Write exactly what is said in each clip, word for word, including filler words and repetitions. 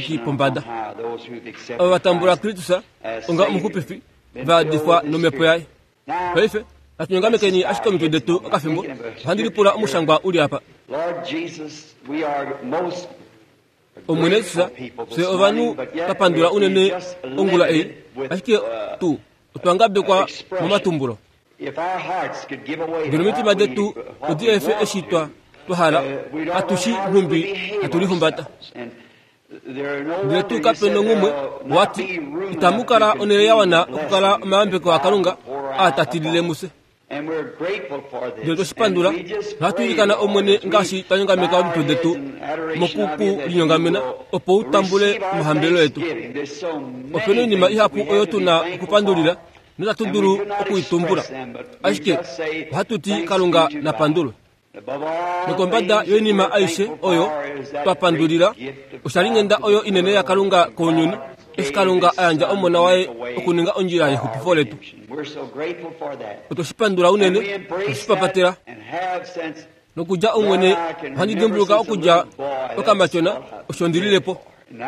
diki pombada. Ava va tambula Kristus onga omuxupifi va yadifwa nomhepo yaye. Paife natu nyongamekeni ashike omitwe detu okafimbo. Ohandi lipula omushangwa uli apa. Omwene Jesus, fye ovanhu twa pandula unene ongula ei, ashike tu Otwa ngabekwa momatumbulo. Ngeno omitima detu odi efe eshi twa twahala atushi nhumbi hatulihumbata. Ndele tuu kape nongumwe wati itamu kala onhele ya wana okukala omayambeko aKalunga aatatilile muse. Ndele toshipandula nohatu ilikana Omwene ngaashi twa nyongameka omitwe detu mokuku linyongamena opo u tambule omahambelelo etu. Opena oinima ihapu oyo tuna okupandulila notatu dulu okuitumbula, ashike ohatu ti Kalunga napandulwe. Nokombada yoinima aishe oyo twapandulila oshalinghenda oyo inene yaKalunga kounyuni, eshi Kalunga a yandja Omona waye okuninga ondjila yexupifo letu. Otweshipandula unene, otweshipapatela. Nokudja Omwene ohandi dimbuluka okudja okamatyona osho ndililepo.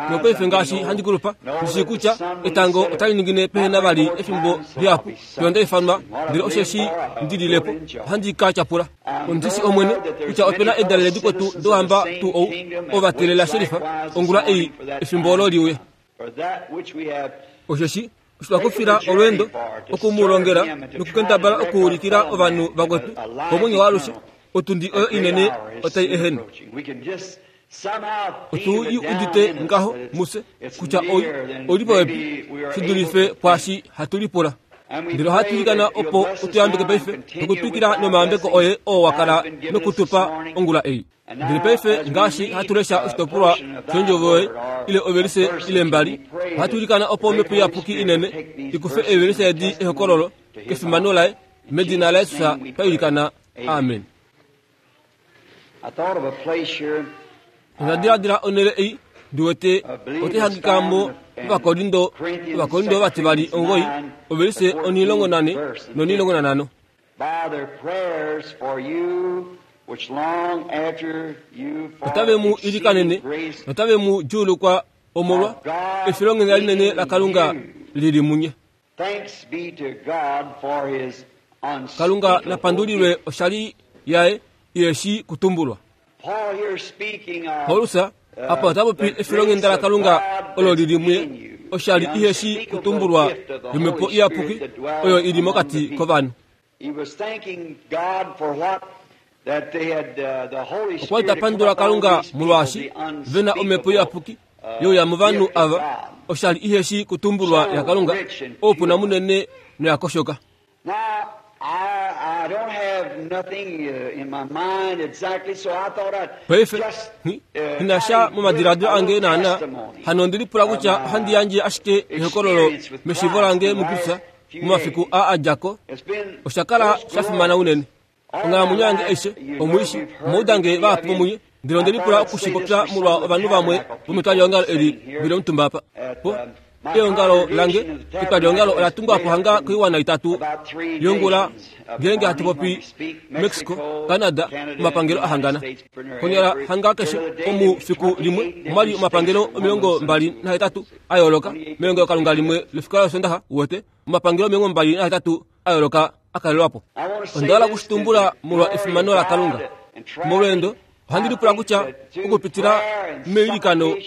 Nopaife ngaashi handi kulupa, ndishi kutya etango otali ningine pehena vali efimbo lihapu fiyo nda ifanwa, ndele osheshi ndililepo ohandi ka tyapula. Ondishi Omwene kutya opena edalele dikwetu dohamba tuu ou ovatelela sherifa ongula ei efimbo olo liuye. Osheshi osho twakufila olweendo okumulongela nokukendabala okuulikila ovanhu vakwetu komwenyo waalushe, otundi oyo inene otai ehene. Otu i udite ngaho muse kutya oi li popepi shi dulife kwaashi hatu lipula. Ndele ohatu ilikana opo utuyambeke paife nokutwikila nomayambeko oye oo wa kala nokutupa ongula ei. Ndele paife ngaashi hatu lesha oshitopolwa shondjovo yoye ile ovelise ile mbali, ohatu ilikana opo Omhepo Iyapuki inene ikufe eevelise edi ehokololo kefimano laye, medina laYesus twa ilikana, amen. Onda diladila onhele ei ndi wete otai hangika mo Ovakorindo, Ovakorindo vativali omugoi, ovelise onhilongo nane nonhilongo nanhano. Otave mu ilikanene notave mu djuulukwa omolwa efilonghenda linene laKalunga lili munye. Kalunga napandulilwe oshali yaye iheshi kutumbulwa. Paulus apa ota popi efilonghenda laKalunga olo lili muye, oshali iheshi kutumbulwa yomhepo iyapuki oyo ili mokati kovanhu. Okwa li ta pandula Kalunga molwaashi vena omhepo iyapuki youya movanhu ava, oshali iheshi kutumbulwa yaKalunga, oupuna munene noyakoshoka. Paife nghi sha momadiladilo ange naana, hano ondili pula kutya ohandi yandje ashike ehokololo meshiivo lange muKristus momafiku aa adja ko. Osha kala sha fimana unene. Onghalamwenyo yange aishe omwiishi omaudange vahapu vomunye, ndele ondeli pula okushipopya molwa ovanhu vamwe vometwaliongalo eli vili omutumba apa. Po eongalo lange etwaliongalo ola tungwa po hanga koiwana itatu yongula ngeenge hatu popi Mexico, Canada, omapangelo ahangana. Konyala hanga keshe omufiku limwe omwali omapangelo omilongo mbali nahetatu a yooloka melongelokalunga limwe lefika losondaxa uwete omapangelo omilongo mbali nahetatu a yooloka a kalelwapo. Onda hala okushitumbula molwa efimano laKalunga. Molweendo ohandi lipula kutya okupitila meilikano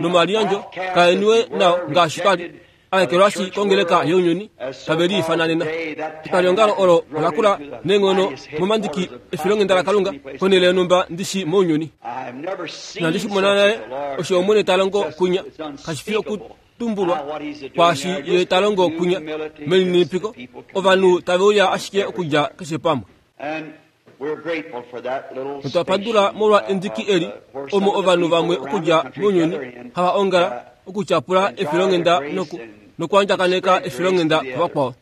nomaliyandjo kaeniwe nao ngaashi twali aekelwashi kongeleka younyuni tave liifananena. Etwaliongalo olo ola kula neenghono momandiki efilonghenda laKalunga konhele yonhumba ndishi mounyuni. Inandi shi mona nale osho Omwene ta longo kunya, kashi fi okutumbulwa kwaashi ye ta longo kunya melininipiko, ovanhu tave uya ashike okudja keshe pamwe. Notwa pandula molwa endiki eli omo ovanhu vamwe okudja mounyuni hava ongala okutyapula efilonghenda noku nokuandjakaneka efilonghenda kuvakwao.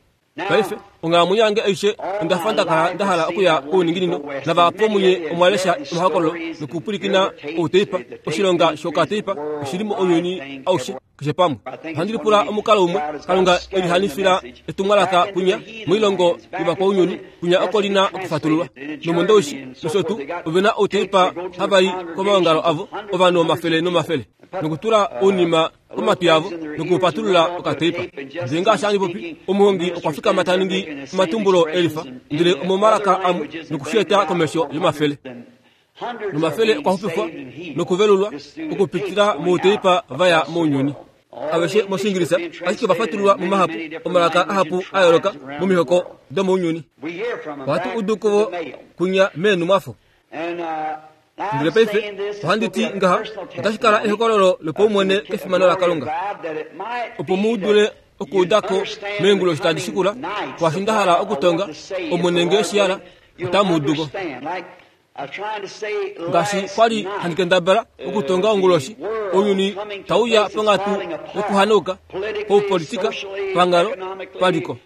Paife onghalamwenyo yange aishe onda fa ndakala nda hala okuya kouninginino, navahapu vomunye omwa lesha omahokololo nokupwilikina outeipa. Oshilonga shokateipa oshili mounyuni aushe keshe pamwe. Ohandi lipula omukalo umwe Kalunga elihanifila etumwalaka kunya moilongo yovakwaunyuni, kunya oko lina okufatululwa. Nomondoushi nosho tuu ovena outeipa hava i komaongalo avo ovanhu omafele nomafele nokutula ounima komatwi avo nokupatulula okateipa. Ndele ngaashi handi popi, omuhongi okwa fikama ta ningi omatumbulo elifa, ndele omomalaka amwe nokushieta komesho yomafele. Nomafele okwa xupifwa nokuvelulwa okupitila mouteipa vaya mounyuni. Aveshe mOshiingilisa, ashike ova fatululwa mumahapu omalaka ahapu a yooloka momihoko domounyuni. Ohatu udu kuvo kunya meenhumwafo. Ndele paife ohandi ti ngaha, otashi kala ehokololo lopaumwene kefimano laKalunga, opo mu dule okuudako meenguloshi tadi shikula, kwaashi nda hala okutonga Omwene ngee shi hala, otamu uduko. Ngaashi kwa li handi kendabala okutonga onguloshi, ounyuni tauya ponghatu yokuhanauka, paupolitika, panghalo, paliko.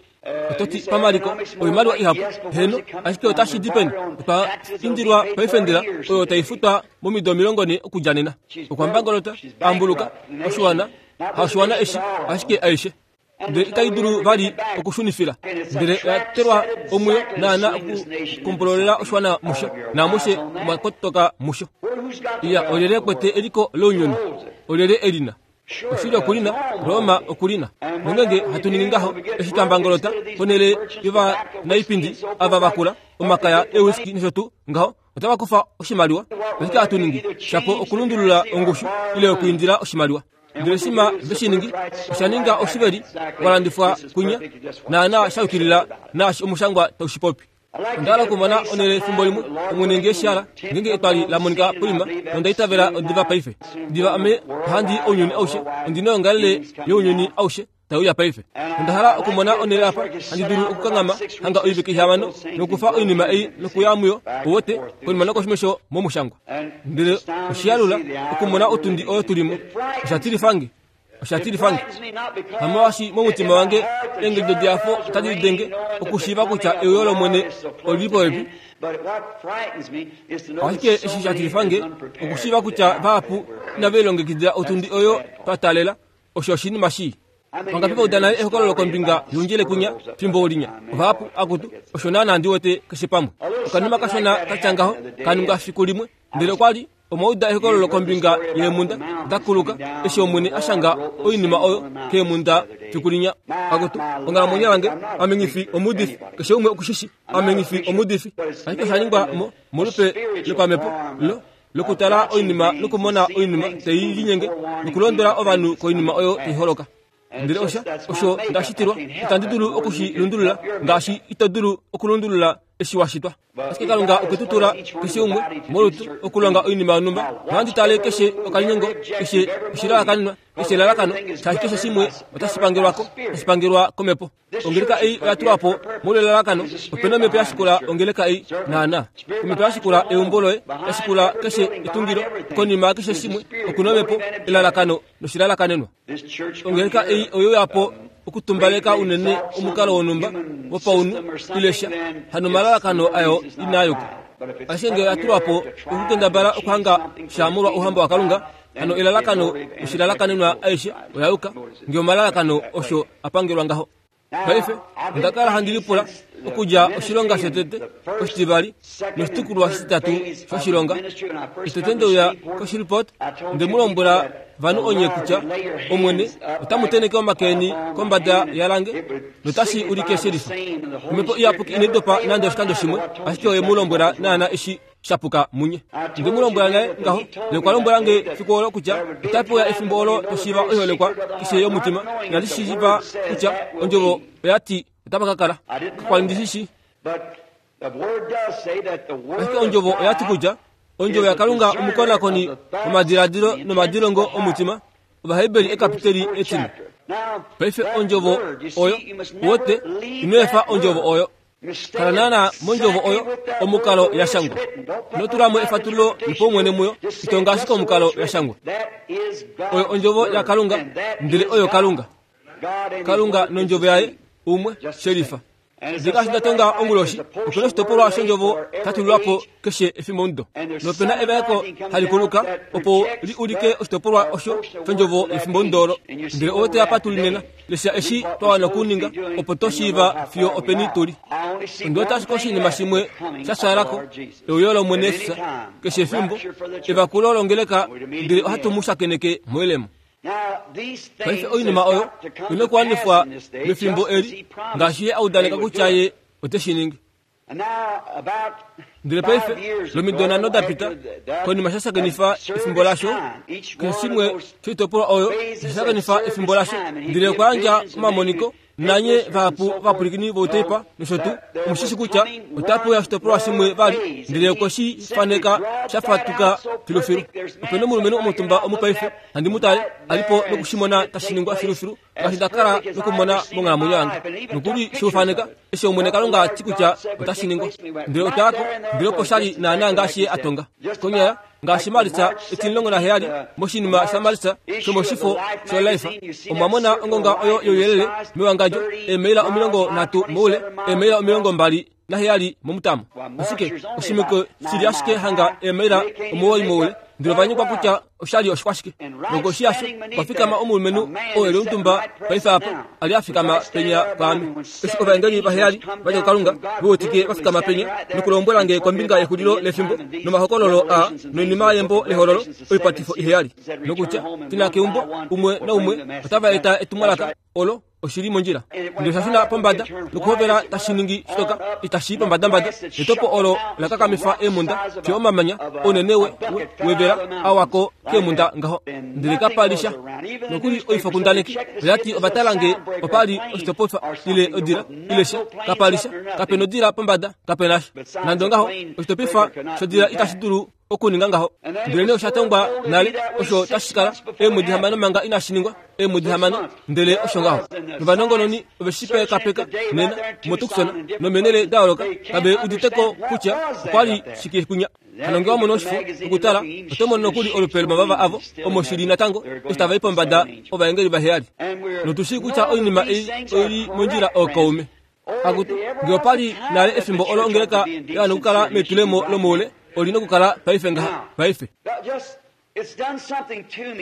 Ototi pamaliko oimaliwa ihapu, heno, ashike otashi di peni? Otwa indilwa paifendela oyo tai futwa momido omilongo nhee okudja nena. Okwa mbangolota, ambuluka, oshiwana, haoshiwana eshi, ashike aishe. Ndele itai dulu vali okushunifila. Ndele oya telwa omwiyo naana okukombololela oshiwana musho, naamushe omwa kotoka musho. Iya, olyelye kwete eliko lounyuni? Olyelye elina? Oshili okulina, Roma okulina. Nongenge hatu ningi ngaho, eshi twa mbangolota ponhele yovanaipindi ava vakula, omakaya eewiski nosho tuu ngaho, otava kufa oshimaliwa. Oshike hatu ningi? Shapo okulundulula ongushu ile okwiindila oshimaliwa. Ndele shima ve shi ningi, osha ninga oshiveli walandifwa kunya, naana sha yukilila naashi omushangwa tau shi popi. Onda hala okumona onhele efimbo limwe, Omwene ngee shi hala, ngeenge etwali la monika poima, nonda itavela odiva paife. Diva ame ohandi ounyuni aushe, ondi noyoongalele younyuni aushe tai uya paife. Onda hala okumona onhele apa handi dulu okukanghama hanga oivike ihamano nokufa oinima ei nokuya muyo, uwete, konima nokoshimesho momushangwa. Ndele oshiyalula okumona otundi oyo tulimo. Osha tilifange. Osha tilifange. Hamolwaashi momutima wange eengedi dehafo otadi lidenge okushiiva kutya euyo lOmwene olili popepi. Ashike eshi sha tilifange okushiiva kutya vahapu inave lilongekidila otundi oyo twa taalela, osho oshinima shii. Vangapi va uda nale ehokololo kombinga youndjele kunya fimbo linya? Ovahapu akutu, osho naana ndi wete keshe pamwe. Okanima kashona katya ngaho ka ningwa fiku limwe, ndele okwa li omwa uda ehokololo kombinga yeemhunda dakuluka eshi Omwene a shanga oinima oyo keemhunda fiku linya. Akutu, onghalamwenyo yange, ame nghi fi omuudifi, keshe umwe okushishi, ame nghi fi omuudifi. Ashike osha ningwa mo molupe lopamhepo lo lokutala oinima nokumona oinima tai linyenge nokulondola ovanhu koinima oyo tai holoka. Ndele osha osho nda shitilwa, itandi dulu okushi lundulula ngaashi ito dulu okulundulula eshi wa shitwa. Ashike Kalunga okwe tu tula keshe umwe molutu okulonga oinima yonhumba, nohandi tale keshe okalinyengo, keshe oshilalakanenwa, keshe elalakano, shaashi keshe shimwe otashi pangelwako, tashi pangelwa komhepo. Ongeleka ei oya tulwa po molwelalakano, opena omhepo ya shikula ongeleka ei naana. Omhepo ya shikula eumbo loye, ya shikula keshe etungilo, konima keshe shimwe okuna omhepo, elalakano noshilalakanenwa. Ongeleka ei oyo ya po okutumbaleka unene omukalo wonhumba wopaunhu ile sha, hano omalalakano ayo inaa yuka. Ashike ngee oya tulwa po okukendabala okuhanga sha molwa ouhamba waKalunga, hano elalakano noshilalakanenwa aishe oya yuka, ngee omalalakano osho a pangelwa ngaho. Paife onda kala handi lipula okudja oshilonga shotete, oshitivali noshitukulwa shititatu shoshilonga. Eshi tete ndeuya koShreveport, nde mu lombwela vanhu onye kutya Omwene otamu tenheke omake eni kombada yalange notashi ulike shelifa. Omhepo Iyapuki inai dopa nande oshikando shimwe, ashike oye mu lombwela naana eshi shapuka munye. Nde mu lombwela naye ngaho, ye okwa lombwela nge fiku olo kutya otape uya efimbo olo to shiiva oiholekwa keshe yomutima. Inandi shiiva kutya ondjovo oya ti otapa ka kala. Kakwali ndi shi shii. Ashike ondjovo oya ti kutya ondjovo yaKalunga omukonakoni womadiladilo nomadilongo omutima, Ovaheberi ekapiteli etine. Paife ondjovo oyo, uwete, ino efa ondjovo oyo. Kala naana mondjovo oyo omukalo ya shangwa. Ino tula mo efatululo lopaumwene muyo, ito ngaashi komukalo ya shangwa. Oyo ondjovo yaKalunga, ndele oyo Kalunga. Kalunga nondjovo yaye umwe shelifa. Ndele ngaashi nda tonga onguloshi, opena oshitopolwa shondjovo sha tulilwa po keshe efimbomudo. Nopena evaeko hali kuluka opo li ulike oshitopolwa osho shondjovo yefimbomudo olo. Ndele owe teya pa tuli nena, lesha eshi twa wana okuninga opo to shiiva fiyo openi tuli. Ondi wete ashike oshinima shimwe sha fyaalako, euyo lOmwene Jesus, keshe efimbo, evakulo longeleka, ndele ohatu mu shakeneke moilemo. Paife oinima oyo ina okuwanifwa mefimbo eli, ngaashi ye a udaneka kutya ye ote shi ningi. Ndele paife lomido nhano dapita konima shashakenifa efimbo lasho keshe shimwe shoitopolwa oyo shashakenifa efimbo lasho ndele okwa yandja omamoniko nanye vahapu vapwilikini vouteipa nosho tuu omushishi kutya otapuya oshitopolwa shimwe vali ndele okwe shi faneka shafatuka filufilu. Opena omulumenhu omutumba omupaife handi mu tale alipo nokushimona tashi ningwa filufilu ngaashi nda kala nokumona monghalamwenyo yange nokuli shiufaneka eshi Omwene Kalunga ati kutya otashi ningwa. Ndele otwayako ndele opo shali naana ngaashi ye atonga konyala ngaashi Maritsa etimulongo naheyali moshinima sha Maritsa shomoshifo sholife omwamona ongonga oyo youyelele mewangadjo eemaila omilongo nhatu moule eemaila omilongo mbali naheyali momutamo. Ashike oshimiko shili ashike hanga eemaila omuwoi moule ndele ovanyekwa kutya oshali oshikwashike. Nokoshi yasho kwafikama omulumenhu oo eli omutumba paife apa ali afikama penya kwaame. Eshi ovaengeli vaheyali vadja kuKalunga veutike vafikama penya nokulombwela nge kombinga yexulilo lefimbo nomahokololo aa noinima yembo lehololo oipatifo iheyali nokutya tina keumbo umwe naumwe otava eta etumwalaka olo oshili mondjila. Ndele oshashuna pombada nokuhovela tashi ningi shitoka itashi pombadambada netopo olo lakakamifa eemunda fiyo omamanya ounene wevela awako keemunda ngaho ndele kapalisha nokuli oifokundaneki oyati ovatalange opali oshitopofa ile odila ile sha kapalisha kapena odila pombada kapenasha nande ngaho oshitopifa shodila itashi dulu okuninga ngaho. Ndele nee oshatongwa nale osho tashi kala eemwedi hamano manga inashi ningwa eemwedi hamano ndele osho ngaho. Novanongononi oveshipekapeka nena moTucson nomenele da yooloka kave uditeko kutya okwali shike kunya. Hano ngee wamona oshifo okutala oto mono nokuli olupe lomavava avo omo shili natango eshi tava i pombada ovaengeli vaheyali. Notushii kutya oinima ei oili mondjila ookaume. Akutu ngee opali nale efimbo olo ongeleka yawana okukala metulemo lomoule olina okukala paife ngaha paife.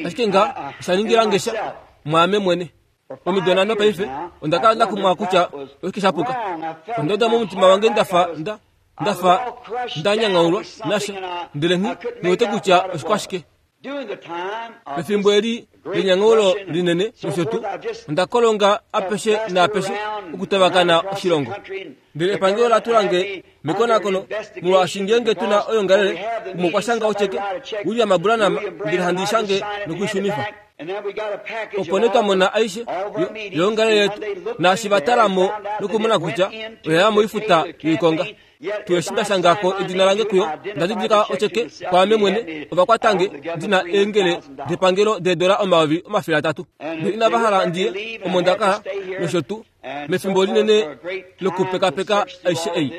Ashike nga osha ngesha mwaame mwene. Omido nhano paife onda kala ndakumwa kutya oshike shapuka. Onda uda momutima wange ndafa nda ndafa ndanyangaulwa nasha ndele nghi niwete kutya oshikwashike. Pefimbo eli lenyangaulo linene nosho tuu onda kolonga apeshe naapeshe okutavakana oshilongo. Ndele epangelo latulange mekonakono molwaashi ngeenge tuna oyongalele umwe okwa shanga ocheke William Branham ndele handi shange nokuishunifa. Opo nee twamona aishe yongalele yetu naashi vatalamo nokumona kutya oyaya moifuta yoikonga. Tueshi ndashangako edina lange kuyo ndadidilika ocheke kwaame mwene ovakwatange ndina eengele depangelo deedola omayovi omafele atatu. Ndele inava hala ndiye omo ndakala nosho tuu mefimbo linene lokupekapeka aishe ei.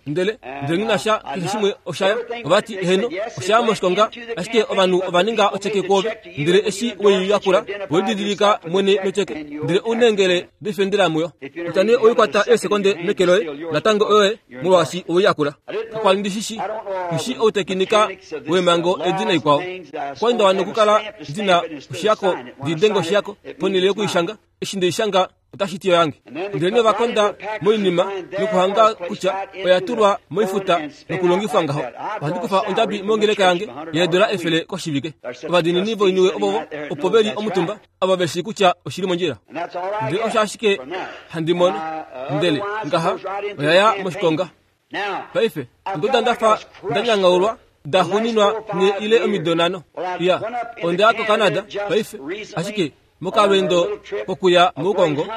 Ndele ndele nghinasha keshe shimwe oshaya ovati heno oshaya moshikonga ashike ovanhu ovaninga ocheke kwoove ndele eshi weiyakula welididilika mwene nocheke ndele uneengele difendela muyo. Kutya nee oikwata eesekonde meke loye natango oyoye molwaashi oweiyakula. Kakwali ndishishi ndishi outekinika weemhango edi naikwao. Okwali nda wana okukala ndina oshiyako ndidenge oshiyako ponhele yokuishanga eshi ndeishanga otashi ti oyange. Ndele nee ovakonda moinima nokuhanga kutya oya tulwa moifuta nokulongifwa ngaho. Ohandi kufa ondjabi mongeleka yange yeedola efele koshivike. Ovadiinini voiniwe ovovo opo veli omutumba ava veshi kutya oshili mondjila. Ndele osho ashike handi mono ndele ngaha oyaya moshikonga. Paife ondoda ndafa ndanyangaulwa daxuninwa ne ile omido nhano. Iya ondaya koCanada paife ashike mokalwendo kokuya moukongo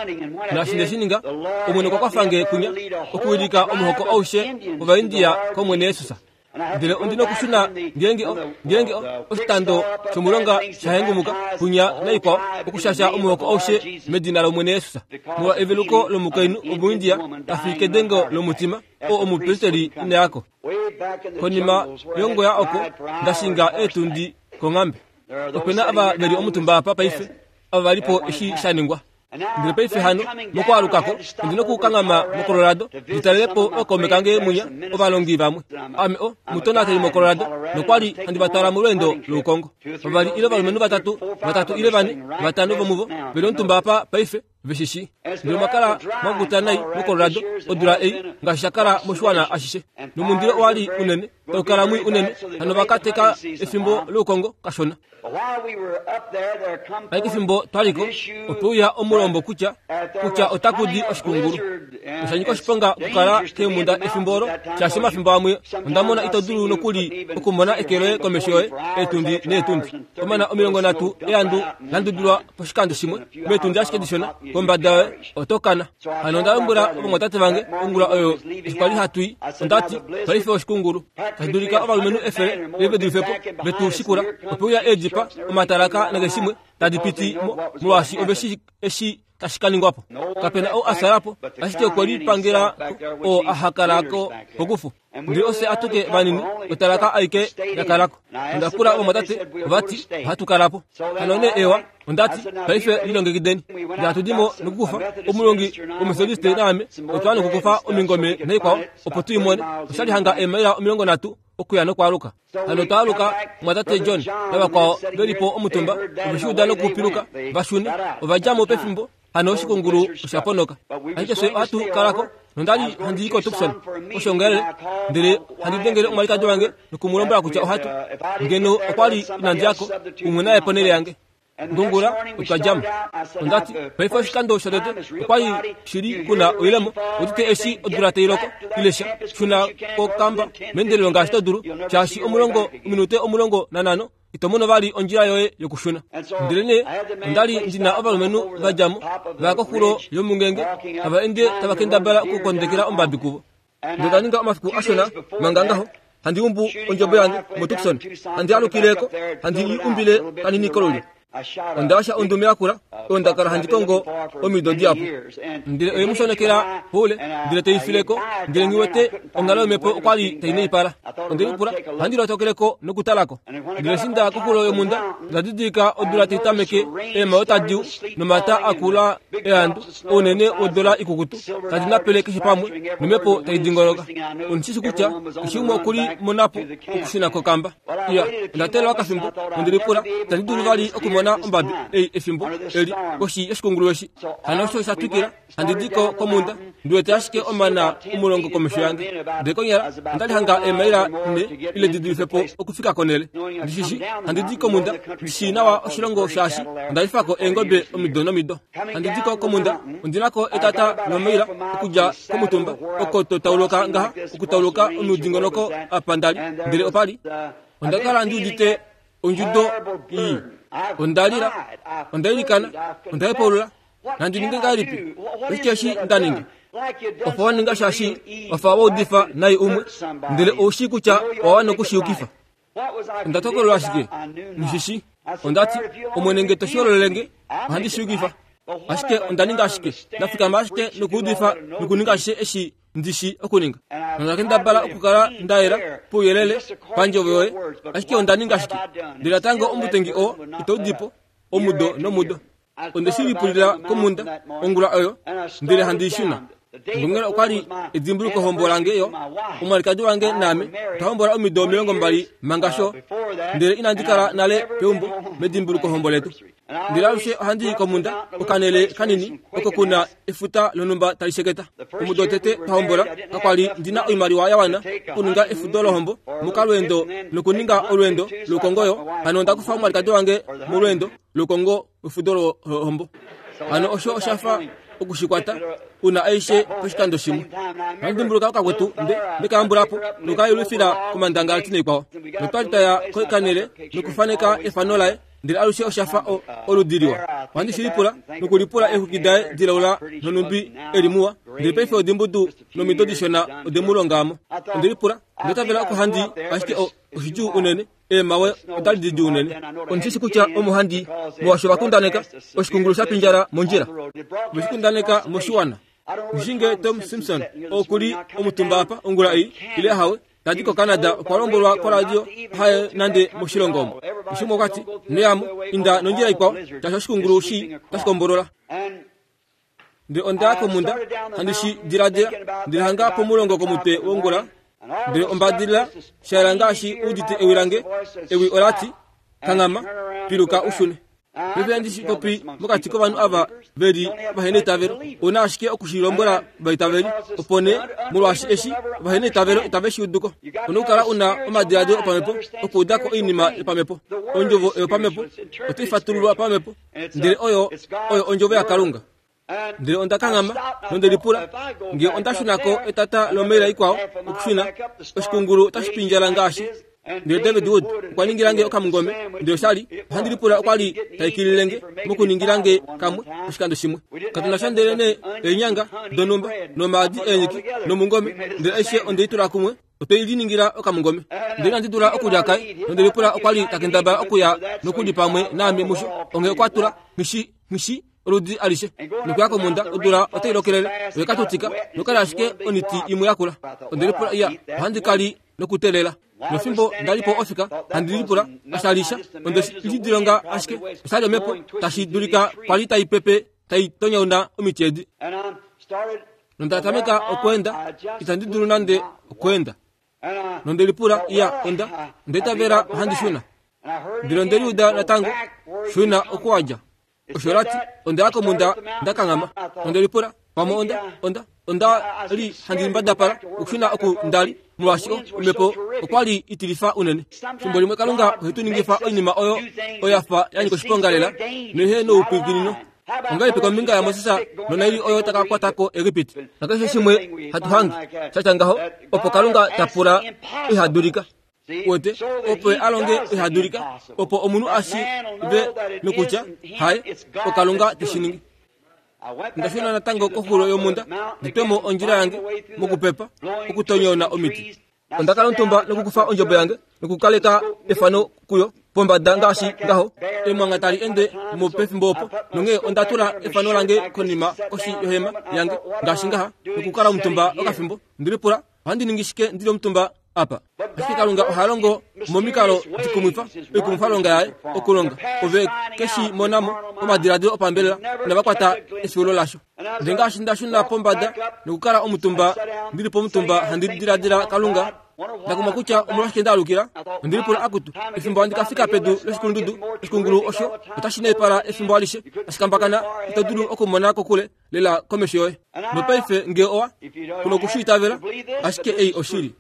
naashi ndeshininga Omwene okwa kwafange kunya okuwilika omuhoko aushe wOvaindia kOmwene Yesus. Ndele ondina okushuna ngeenge ngeenge oshitando shomulonga shahengumuka kunya naikwao okushasha omuhoko aushe medina lOmwene Yesus. Molwa eveluko lomukainhu omuindia tafi kedengo lomutima oo omupristeli inayako. Konima yongoya oko ndashinga eetundi konghambe. Opena ava veli omutumba apa paife ava valipo eshi shaningwa. Ndele paife hano mokwaalukako ondina okukanghama moColorado nditalelepo ookaume kange munya ovalongi vamwe. Ame o mutonateli moColorado nokwali handi vatwala molweendo loukongo. Vavali ile ovalumenhu vatatu vatatu ile vane vatano vomuvo veli omutumba apa paife veshishi. Ndele omwakala mwakukuta nai moColorado odula ei ngaashi shakala moshiwana ashishe. Nomundilo owali unene taukala mwii unene hano vakateka efimbo loukongo kashona. Paike efimbo twaliko opeuya omulombo kutya kutya otakudi oshikungulu. Osha nyika oshiponga okukala keemhunda efimbo olo, shaashi omafimbo amwe onda mona ito dulu nokuli okumona eke loye komesho yoye eetundi neetundi. Omana omilongo nhatu eandu landudulwa poshikando shimwe meetundi ashike dishona kombada yoye oto kana. Hano onda lombwela ovamwatate vange ongula oyo eshi kwali hatu i, onda ti paife oshikungulu tashi dulika ovalumenhu efele ile ve dulife po vetu shikula ope uya eedjipa omatalaka nakeshimwe tadi piti mo molwaashi ove shi eshi tashi ka ningwa po. Kapena ou a sala po ashike okwe lipangela oo a hakala ko pokufu. Ndele ofye atuke vanini otalaka aike ya kalako. Onda pula ovamwatate ovati ohatu kala po. Hano nee ewa onda ti paife lilongekideni. Ndele hatu di mo nokukufa omulongi womethodiste naame otwa nokukufa omingome naikwao opo tu i mone. Oshali hanga eemaila omilongo nhatu okuya nokwaaluka. Hano twaaluka mwatate John navakwao veli po omutumba ove shi uda nokupiluka va shune ova dja mo pefimbo. Hano oshikungulu osha ponoka. Ashike fye ohatu kalako nondali handi i koTucson oshongelele ndele handi dengele omwalikadi wange nokumulombwela kutya ohatu ngeno okwali inandi yako umwe naye ponhele yange. Ngongula otwa djamo. Onda ti paife oshikando shotete okwali shili kuna oilemo otite eshi odula tai loko ile sha shuna kokamba meendelelo ngaashi to dulu shaashi omulongo ominute omulongo nanhano ito mono vali ondjila yoye yokushuna. Ndele nee ondali ndina ovalumenhu va dja mo va koxulo yomungenge tava ende tava kendabala okukondekela ombabi kuvo. Ndele nda ninga omafiku ashona manga ngaho handi umbu ondjobo yange moTucson handi alukileko handi i umbile kanini kolulyo. Onda washa ondume yakula oyo nda kala handi kongo omido dihapu. Ndele oye mu shonekela poule ndele tei fileko ndele nghi wete onghalo yomhepo okwali tai naipala. Onde lipula ohandi lotokeleko nokutalako. Ndele eshi nda koxulo yomhunda onda didilika odula tai tameke eemhayo tadi u nomata akula eandu ounene wodula ikukutu tadi napele keshe pamwe nomhepo tai dingoloka. Ondishi kutya keshe umwe okuli monapo okushuna kokamba. Iya, onda teelela okafimbo nonde lipula itandi dulu vali okumona ombabi ei efimbo eli koshi yoshikungulu eshi. Hano osho sha twikila handi di ko komhunda ndi wete ashike omana omulongo komesho yange. Ndele konyala ondali hanga eemaila nhe ile di dulife po okufika konhele. Ndishishi handi di komhunda ndi shii nawa oshilongo shaashi onda lifako eengobe omido nomido. Handi di ko komhunda ondinako etata lomaila okudja komutumba oko to tauluka ngaha okutauluka omudingonoko apa ndali. Ndele opali onda kala ndi udite ondjudo ii. Onda lila, onda ilikana, onda hepaulula, nandi ninge ngahelipi? Oshike eshi nda ninga? Ofa wa ninga shaashi ofa wa udifa nai umwe, ndele ou shii kutya owa wana okushiyukifa. Onda tokolelwa ashike, nghishishi. Onda ti, Omwene nge to shihololele ohandi shiyukifa. Ashike onda ninga ashike, nda fikama ashike nokuudifa nokuninga ashishe eshi ndi shi okuninga. Nonda kendabala okukala nda yela pouyelele pandjovo yoye, ashike onda ninga ashike. Ndele natango omutengi oo itau di po omudo nomudo. Onde shi lipulila komhunda ongula oyo ndele handi shuna. Ngongela okwali edimbulukohombo lange yo omwalikadi wange naame otwa hombola omido omilongo mbali manga sho ndele inandi kala nale peumbo medimbulukohombo letu. Ndele alushe ohandi i komhunda okanhele kanini oko kuna efuta lonhumba tali sheketa. Omudo wotete twa hombola kakwali ndina oimaliwa ya wana okuninga efudo lohombo mokalweendo nokuninga olweendo loukongo yo hano onda kufa omwalikadi wange molweendo loukongo wefudo lohombo. Hano osho oshafa okushikwata una aishe poshikando shimwe. Ohandi dimbuluka okakwetu nde ndekayambulapo nokayelufila komandangalati naikwao. Notwali twaya kokanhele nokufaneka efano laye ndele alushe oshafa oludi liwa. Ohandi shi lipula nokulipula eexwiki daye dilaula nonhumbi eli muwa ndele paife odimbudu nomido dishona ode mu longa mo. Onde lipula onda itavela oko handi ashike oshidjuu unene eemhawe otali didjuu unene. Ondishi kutya omo handi molwaashi ovakundaneka oshikungulu sha pindjala mondjila. Ove shi kundaneka moshiwana. Nghishinge Tom Simpson okuli omutumba apa ongula ei ile ahawe tadi koCanada okwa lombwelwa koradio haye nande moshilongo omo. Shimwe okwati neyamo inda nondjila ikwao shaashi oshikungulu shi otashi kombolola. Ndele onda ya komhunda handi shi diladila ndele hanga pomulongo komutwe wongula ndele ombadilila shayela ngaashi udite ewi lange ewi olati kanghama piluka ushune. Paife handi shi popi mokati kovanhu ava veli vahena eitavelo ouna ashike okushilombwela ovaitaveli opo nee molwaashi eshi vahena eitavelo itave shi uduko. Ouna okukala una omadiladilo opamhepo okuudako oinima yopamhepo. Ondjovo oyopamhepo otai fatululwa pamhepo ndele oyo oyo ondjovo yaKalunga. Ndele onda kanghama nonde lipula nge onda shunako etata lomeila ikwao okushuna oshikungulu otashi pindjala ngaashi. Ndele David Wood okwa ningilange okamungome, ndele oshali ohandi lipula okwa li taikililenge mokuningilange kamwe oshikando shimwe. Katuna sha ndele ne eenyanga donhumba nomaadi eenyiki nomungome, ndele aishe onde i tula kumwe otwe liningila okamungome. Ndele inandi dula okulya kai, nonde lipula okwa li takendabala okuya nokuli pamwe naame musho. Onge okwa tula nghishi nghishi oludi alishe nokuya komunda odula otai lokelele oye katutika nokali ashike oniti imwe yakula. Onde lipula iya ohandi kali nokutelela. Nofimbo ndalipo ofika handi lipula ashalisha onde lidilonga ashike oshali omhepo tashi dulika kwali tai pepe tai tonyauna omiti edi. Nonda tameka okweenda itandi dulu nande okweenda. Nonde lipula iya onda ndeitavela ohandi shuna. Ndele onde liuda natango shuna okuwadja. Osho lati onda ya komunda ndakanghama. Onde lipula pamwe onda onda onda li handi mbadapala okushuna oku ndali molwaashi omhepo okwa li itilifa unene. Fimbo limwe Kalunga ohe tu ningifa oinima oyo oyafa ya nyika oshiponga lela noihe noupwikinino. Ongahelipi kombinga yaMoses nonaili oyo taka kwatako Egipiti? Nakeshe shimwe hatu hange shatya ngaho opo Kalunga ta pula ihadulika. Wete opo alonge ihadulika opo omunhu ashive nokutya haye oKalunga teshi ningi. Ndashuna natango koxulo yomunda nditwemo ondjila yange mokupepa okutonyona omiti. Onda kala omutumba nokukufa ondjobo yange nokukaleka efano kuyo pombada ngaashi ngaho emwanga tali ende mopefimbo opo. Nonghee onda tula efano lange konima koshi yohema yange ngaashi ngaha nokukala omutumba okafimbo. Ndilipula ohandi ningi shike ndili omutumba apa? Ashike Kalunga oha longo momikalo dikumwifa oikumwifalonga yaye okulonga ove keshi monamo omadiladilo opambelela inava kwata efyuulo lasho. Ndele ngaashi ndashuna pombada nokukala omutumba ndili pomutumba handi diladila Kalunga ndakumwa kutya omolwashike ndaalukila. Ondilipula akutu efimbo handi ka fika pedu loshikulundudu oshikungulu osho otashi naipala efimbo alishe tashikambakana ito dulu okumona kokule lela komesho yoye. Nopaife nge owa kuno okushiitavela ashike ei oshili.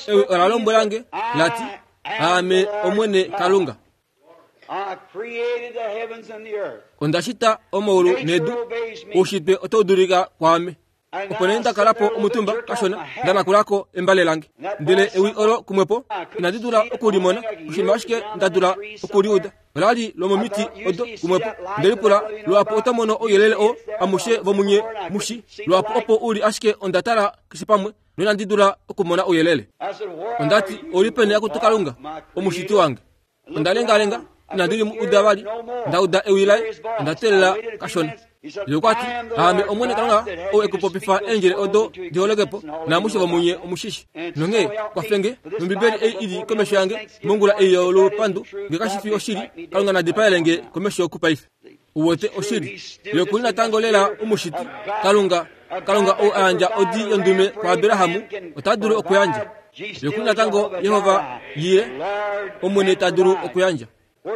Ewi ola lombwelange lati aame Omwene Kalunga. Onda shita omaulu nedu, oushitwe otau dulika kwaame. Opo nee ndakalapo omutumba kashona ndanakulako embale lange. Ndele ewi olo kumwepo inandi dula okulimona, oshinima ashike nda dula okuliuda olali lomomiti odo kumwepo. Ndelipula lwapo oto mono ouyelele oo amushe vomunye mushi lwapo opo uli ashike onda tala keshe pamwe noinandi dula okumona ouyelele. Ondati ouli peni akutu Kalunga omushiti wange? Onda lengalenga inandi liuda vali, ndauda ewi laye onda teelela kashona. Ye okwati aame Omwene Kalunga ou ekupopifa eendjele odo diholokepo naamushe vomunye omushishi. Nonghee kwafenge nOmbibeli ei ili komesho yange mongula ei yolupandu nge kashi fi oshili Kalunga nadipaelenge komesho kupaife. Uwete oshili ye okuli natango lela omushiti Kalunga. Kalunga ou ayandja odi yondume kwaAbrahamu ota dulu okuyandja. Ye okuli natango Yehova Yire Omwene ta dulu okuyandja.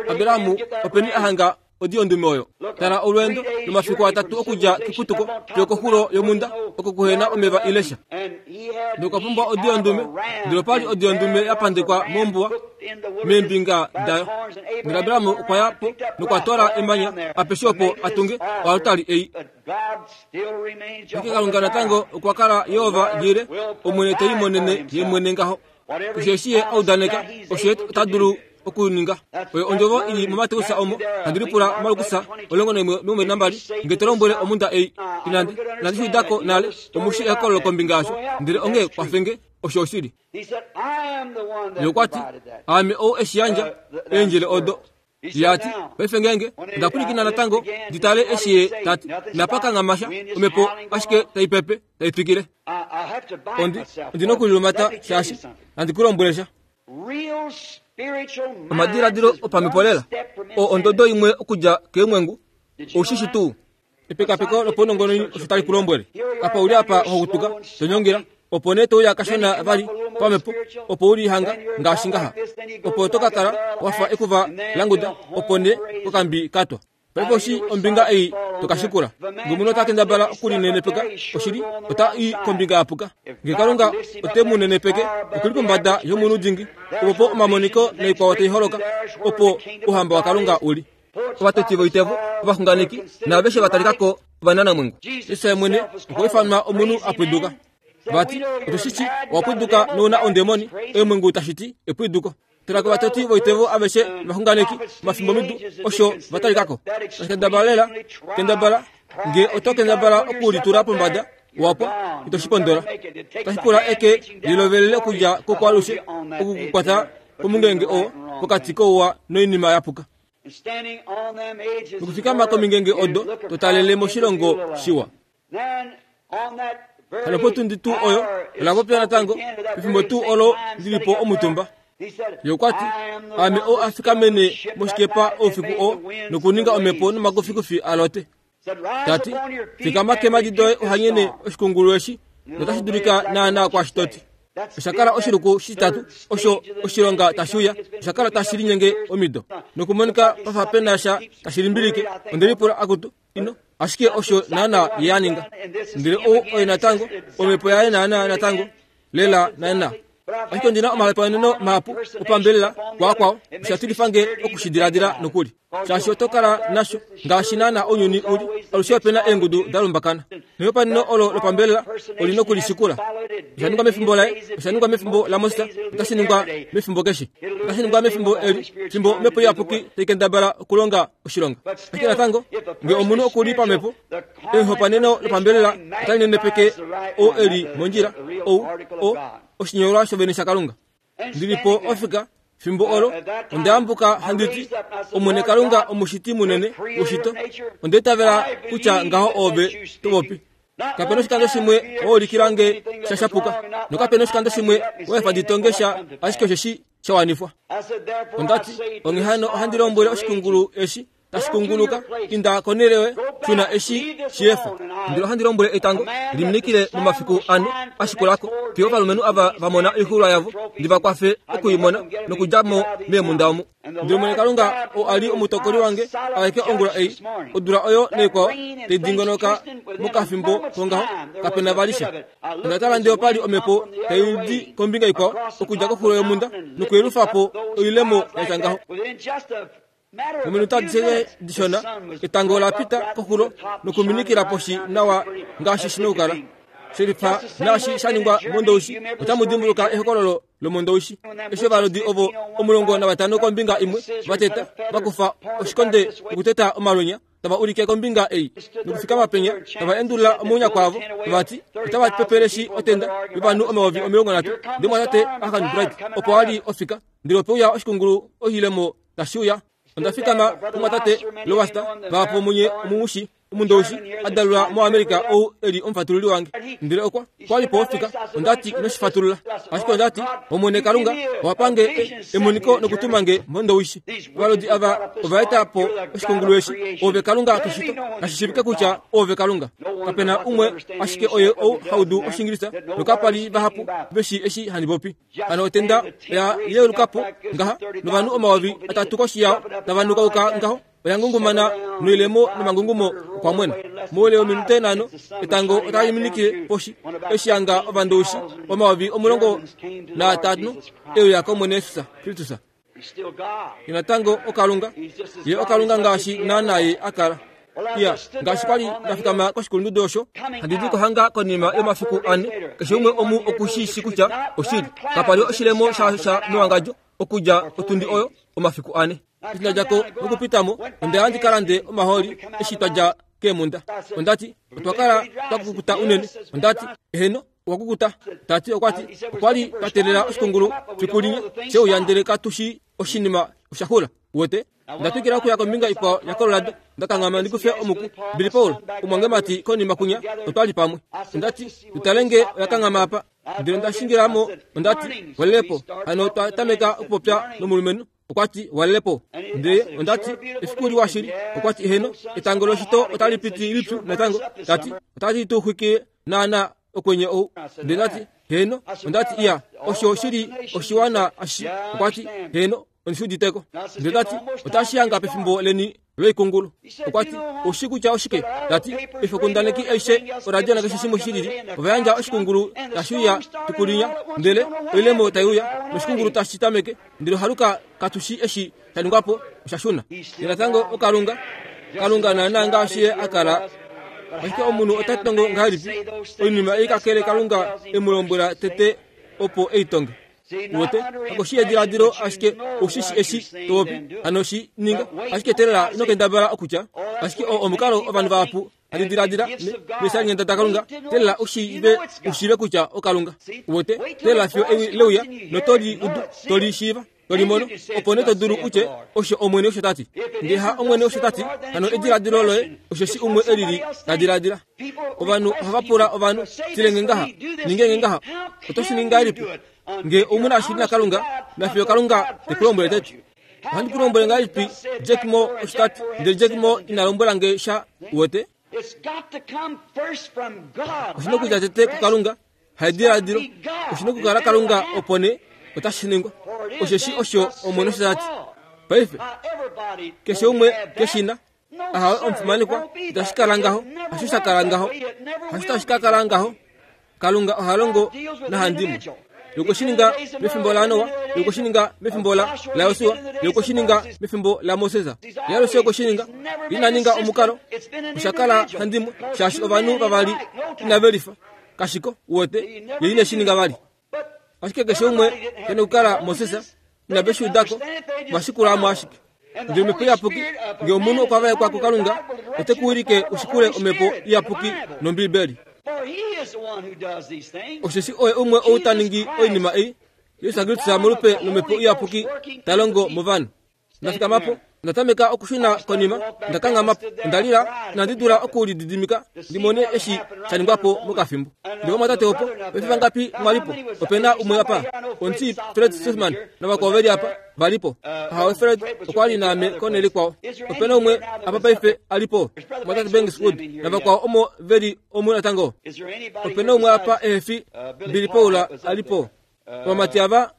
Abrahamu openi ahanga odi yondume oyo? Tala olweendo lomafiku atatu okudja keputuko fiyo koxulo yomunda oko kuhena omeva ilesha. Nokwa pumbwa odi yondume, ndele opali odi yondume ya pandekwa mombuwa meembinga dayo. Ndele Abrahamu okwa ya po nokwa twala emanya apeshe opo atunge oaltari ei. Ashike Kalunga natango okwa kala Yehova Jire Omwene te limonene ye mwene ngaho. Keshe eshi ye audaneka osho ye ota dulu okuninga. Oyo ondjovo ili muMateus omo handi lipula Markus omulongo naimwe omilongo mbali nambali nge to lombwele omunda ei inandi inandi shiudako nale omushi ehokololo kombinga yasho. Ndele onghee kwafenge osho oshili. Ye okwati aame ou eshi yandja eendjele odo. Yati paife ngeenge onda pwilikina natango nditale eshi ye tati inapa kanghamasha omhepo ashike tai pepe tai twikile. Ondi ondina okulilumata shaashi handi ku lombwele sha. Omadiladilo opamhepo lela oo ondodo imwe okudja keemwengu oushishi tuu. Epekapeko lopaunongononi osho tali ku lombwele. Apa uli apa hokutuka tonyongela opo nee touya kashona vali pamhepo opo uli hanga ngaashi ngaha. Opo to ka kala wafa ekuva languda opo nee kokambi katwa. Paife oshi ombinga ei tokashikula. Nge omunhu ota kendabala okulinenepeka oshili ota i kombinga yapuka. Nge Kalunga ote mu nenepeke okuli pombada yomunhu dingi opo omamoniko noikwao tai holoka opo ouhamba waKalunga uli. Ovatoti voitevo, ovaxunganeki naaveshe va talika ko ovananamwengu. Jesus mwene okwa ifanwa omunhu a pwiduka. Vati otushishi owa pwiduka nouna ondemoni, eemwengu tashiti epwiduko. Tala kovatoti voitevo aveshe ovaxunganeki omafimbo midu osho va talikako. Tashi lela, kendabala, nge oto kendabala okulitula pombada wapo ito shipondola. Tashi pula eke lilovelele okudja kokwalushe okukukwata komungenge oo pokati kouwa noinima yapuka. Nokufikama komingenge odo totalele moshilongo shiwa. Hano potundi tuu oyo ola popya natango pefimbo tuu olo ndilipo omutumba. Ye okwa ti, ame oo afikamene moshikepa oufiku oo nokuninga omhepo nomakufikufi alote. Tati, fikama keemhadi doye uhanyene oshikungulu eshi notashi dulika naana kwaashi toti. Osha kala oshiluku shitatu osho oshilonga tashi uya, osha kala tashi linyenge omido. Nokumonika pafa pena sha tashi limbilike, onde lipula akutu ino ashike osho naana ye a ninga. Ndele ou oye natango, omhepo yaye naana natango, lela naana. Ashike ondina omahalepaneno mahapu opambelela kwaakwao, osha tilifa nge okushidiladila nokuli. Shaashi oto kala nasho ngaashi naana ounyuni uli, alushe opena eengudu da lumbakana. Nehopaneno olo lopambelela olina okulishikula. Osha ningwa mefimbo laye, osha ningwa mefimbo laMoses, otashi ningwa mefimbo keshe. Otashi ningwa mefimbo eli, fimbo omhepo iyapuki tai kendabala okulonga oshilonga. Ashike natango, nge omunhu okuli pamhepo, ehopaneno lopambelela otali nenepeke ou eli mondjila, ou o oshinyolwa shovene shaKalunga. Ndilipo ofika fimbo olo onda yambuka handiti Omwene Kalunga omushiti munene woshito, onda itavela kutya ngaho oove topopi. Kapena oshikando shimwe waulikila nge sha shapuka, nokapena oshikando shimwe wefa nditonge sha ashike osheshi sha wanifwa. Ondati onghee hano ohandi lombwele oshikungulu eshi tashi kunguluka, inda konelewe shuna eshi shiefa. Ndele ohandi lombwele etango liminikile momafiku ane ashikulako, fiyo ovalumenhu ava va mona oixuulwa yavo, ndi va kwafe okuimona nokudja mo meemunda omu. Ndele Omwene Kalunga oo a li omutokoli wange aeke ongula ei, odula oyo naikwao tai dingonoka mokafimbo kongaho, kapena vali sha. Onda tala ndee opali omhepo tai di kombinga ikwao okudja koxulo yomunda nokuyelufa po oilemo yatya ngaho. Mominute adishe dishona, etango ola pita koxulo nokuminikila poshi nawa ngaashi shina okukala. Shelifa naashi sha ningwa mondoushi, otamu dimbuluka ehokololo lomondoushi. Eshi ovalodi ovo omulongo navatano kombinga imwe vateta, vakufa oshikonde okuteta omalwenya, tava ulike kombinga ei nokufikama penya, tava endulula omaunya kwavo, vati otava pepeleshi otenda yovanhu omayovi omilongo nhatu. Ndele mwatate Akan Bright opo a li ofika, ndele ope uya oshikungulu oshilemo tashi uya. Onda fikama kumwatate Lowasta, vahapu munye omumushi omundoushi a dalula moAmerica ou eli omufatululi wange. Ndele okwa kwali po ofika, ondati ino shifatulula. Ashike ondati Omwene Kalunga owa pange emoniko nokutuma nge mondoushi. Ovalodi ava ova eta po oshikungulu eshi, oove Kalunga keshito, nashi shiivike kutya oove Kalunga. Kapena umwe ashike oye ou haudu Oshingilisa, nokapali vahapu veshi eshi handi popi. Hano otenda oya yeuluka po ngaha, novanhu omayovi atatu koshi yao tava nukauka ngaho, oya ngungumana noilemo nomangungumo okwa mwena. Moule wominute nhano etango otali minikile poshi, eshi yanga ovandoushi omayovi omulongo naatano euya kOmwene Jesus Kristus. Ye natango oKalunga, ye oKalunga ngaashi naana ye a kala. Iya, ngaashi kwali ndafikama koshikulundudu osho, handi di kohanga konima yomafiku ane, keshe umwe omu okushiishi kutya oshili. Kapali oshilemo sha sha mewangadjo okudja otundi oyo omafiku ane. Eshi nda dja ko nokupitamo, onda ya ndi ka lande omahooli eshi twa dja keemhunda. Ondati otwa kala twa kukuta unene. Ondati eheno, okwa kukuta. Tati okwati okwali twa teelela oshikungulu fiku limwe sheuya ndele katushi oshinima osha xula. Uwete? Onda twikila okuya kombinga ikwao yaColorado, nda kanghama ndi kufe omuku. Billy Paul, omwangemati konima kunya, otwali pamwe. Ondati tutale nge oya kanghama apa. Ndele onda shingila mo, ondati walelepo. Hano twa tameka okupopya nomulumenhu, okwati walelepo. Ndele ondati efiku liwa shili, okwati eheno, etango loshito otali piti lipyu natango. Tati otali tu xwikile naana okwenye ou. Ndele ndati heno, ondati iya, osho shili oshiwana ashi. Okwati heno, Ondi shi uditeko. Ndele tati otashi hanga pefimbo leni loikungulu. Okwa ti oushi kutya oshike? Tati oifokundaneki aishe oradio nakeshe shimwe shilili ova yandja oshikungulu tashi uya tukulinya, ndele oilemo tai uya noshikungulu tashi tameke, ndele ohaluka katushi eshi sha ningwapo osha shuna. Ndele natango okalunga kalunga naana ngaashi ye a kala. Ashike omunhu ota tongo ngahelipi oinima ei kakele Kalunga e mu lombwela tete opo ei tonge? Uwete kakoshi yediladilo ashike oushi eshi topopi hano shi ninga ashike telela ino kendabala okutya ashike oo omukalo ovanhu vahapu handi diladila meeshalinghenda daKalunga telela ushiive ushiive kutya oKalunga. Uwete telela fiyo ewi leuya notoli udu toli shiiva tolimono opo nee to dulu utye osho Omwene osho tati. Ngee ha Omwene osho tati hano ediladilo loye osheshi umwe elili ta diladila. Ovanhu ohava pula ovanhu tilenge ngaha ningenge ngaha oto shi ningi ngahelipi ngee omu na shili naKalunga nafiyo Kalunga te ku lombwele tete. Ohandi ku lombwele ngahelipi Jack Moore osho tati, ndele Jack Moore ina lombwela nge sha. Uwete oshina okudja tete kuKalunga, haidiladilo oshina okukala Kalunga opo nee otashi ningwa osheshi osho Omwene osho tati. Paife keshe umwe keshina ahawe omufimanekwa itashi kala ngaho, hasho sha kala ngaho, hasho tashi ka kala ngaho. Kalunga oha longo nahandimwe. Ye okwe shi ninga mefimbo laNoa, ye okwe shi ninga mefimbo laJosua, ye okwe shi ninga mefimbo laMoses. Ye alushe okwe shi ninga. Ina ninga omukalo osha kala handimwe shaashi ovanhu vavali inave lifa. Kashiko uwete ye ine shi ninga vali. Ashike keshe umwe kene okukala Moses inave shi udako vashikulamo ashike. Ndele Omhepo Iyapuki ngee omunhu okwa vaekwa kuKalunga ote ku wilike ushikule Omhepo Iyapuki nOmbibeli. Osheshi oye umwe ou ta ningi oinima ei, Jesus Kristus molupe lOmhepo Iyapuki ta longo movanhu. Ndafikama po, onda tameka okushuna konima, onda kanghama po, onda lila, inandi dula okulididimika ndi mone eshi sha ningwa po mokafimbo. Ndele omwatate opo, paife vangapi mwa li po? Ope na umwe apa, omuti Fred Sothmann navakwao veli apa va li po. Ahawe Fred okwa li naame konhele ikwao. Ope na umwe apa paife a li po, omwatate Banks Wood navakwao omo veli omu natango. Ope na umwe apa ehe fi Billy Paul a li po. Ovamati ava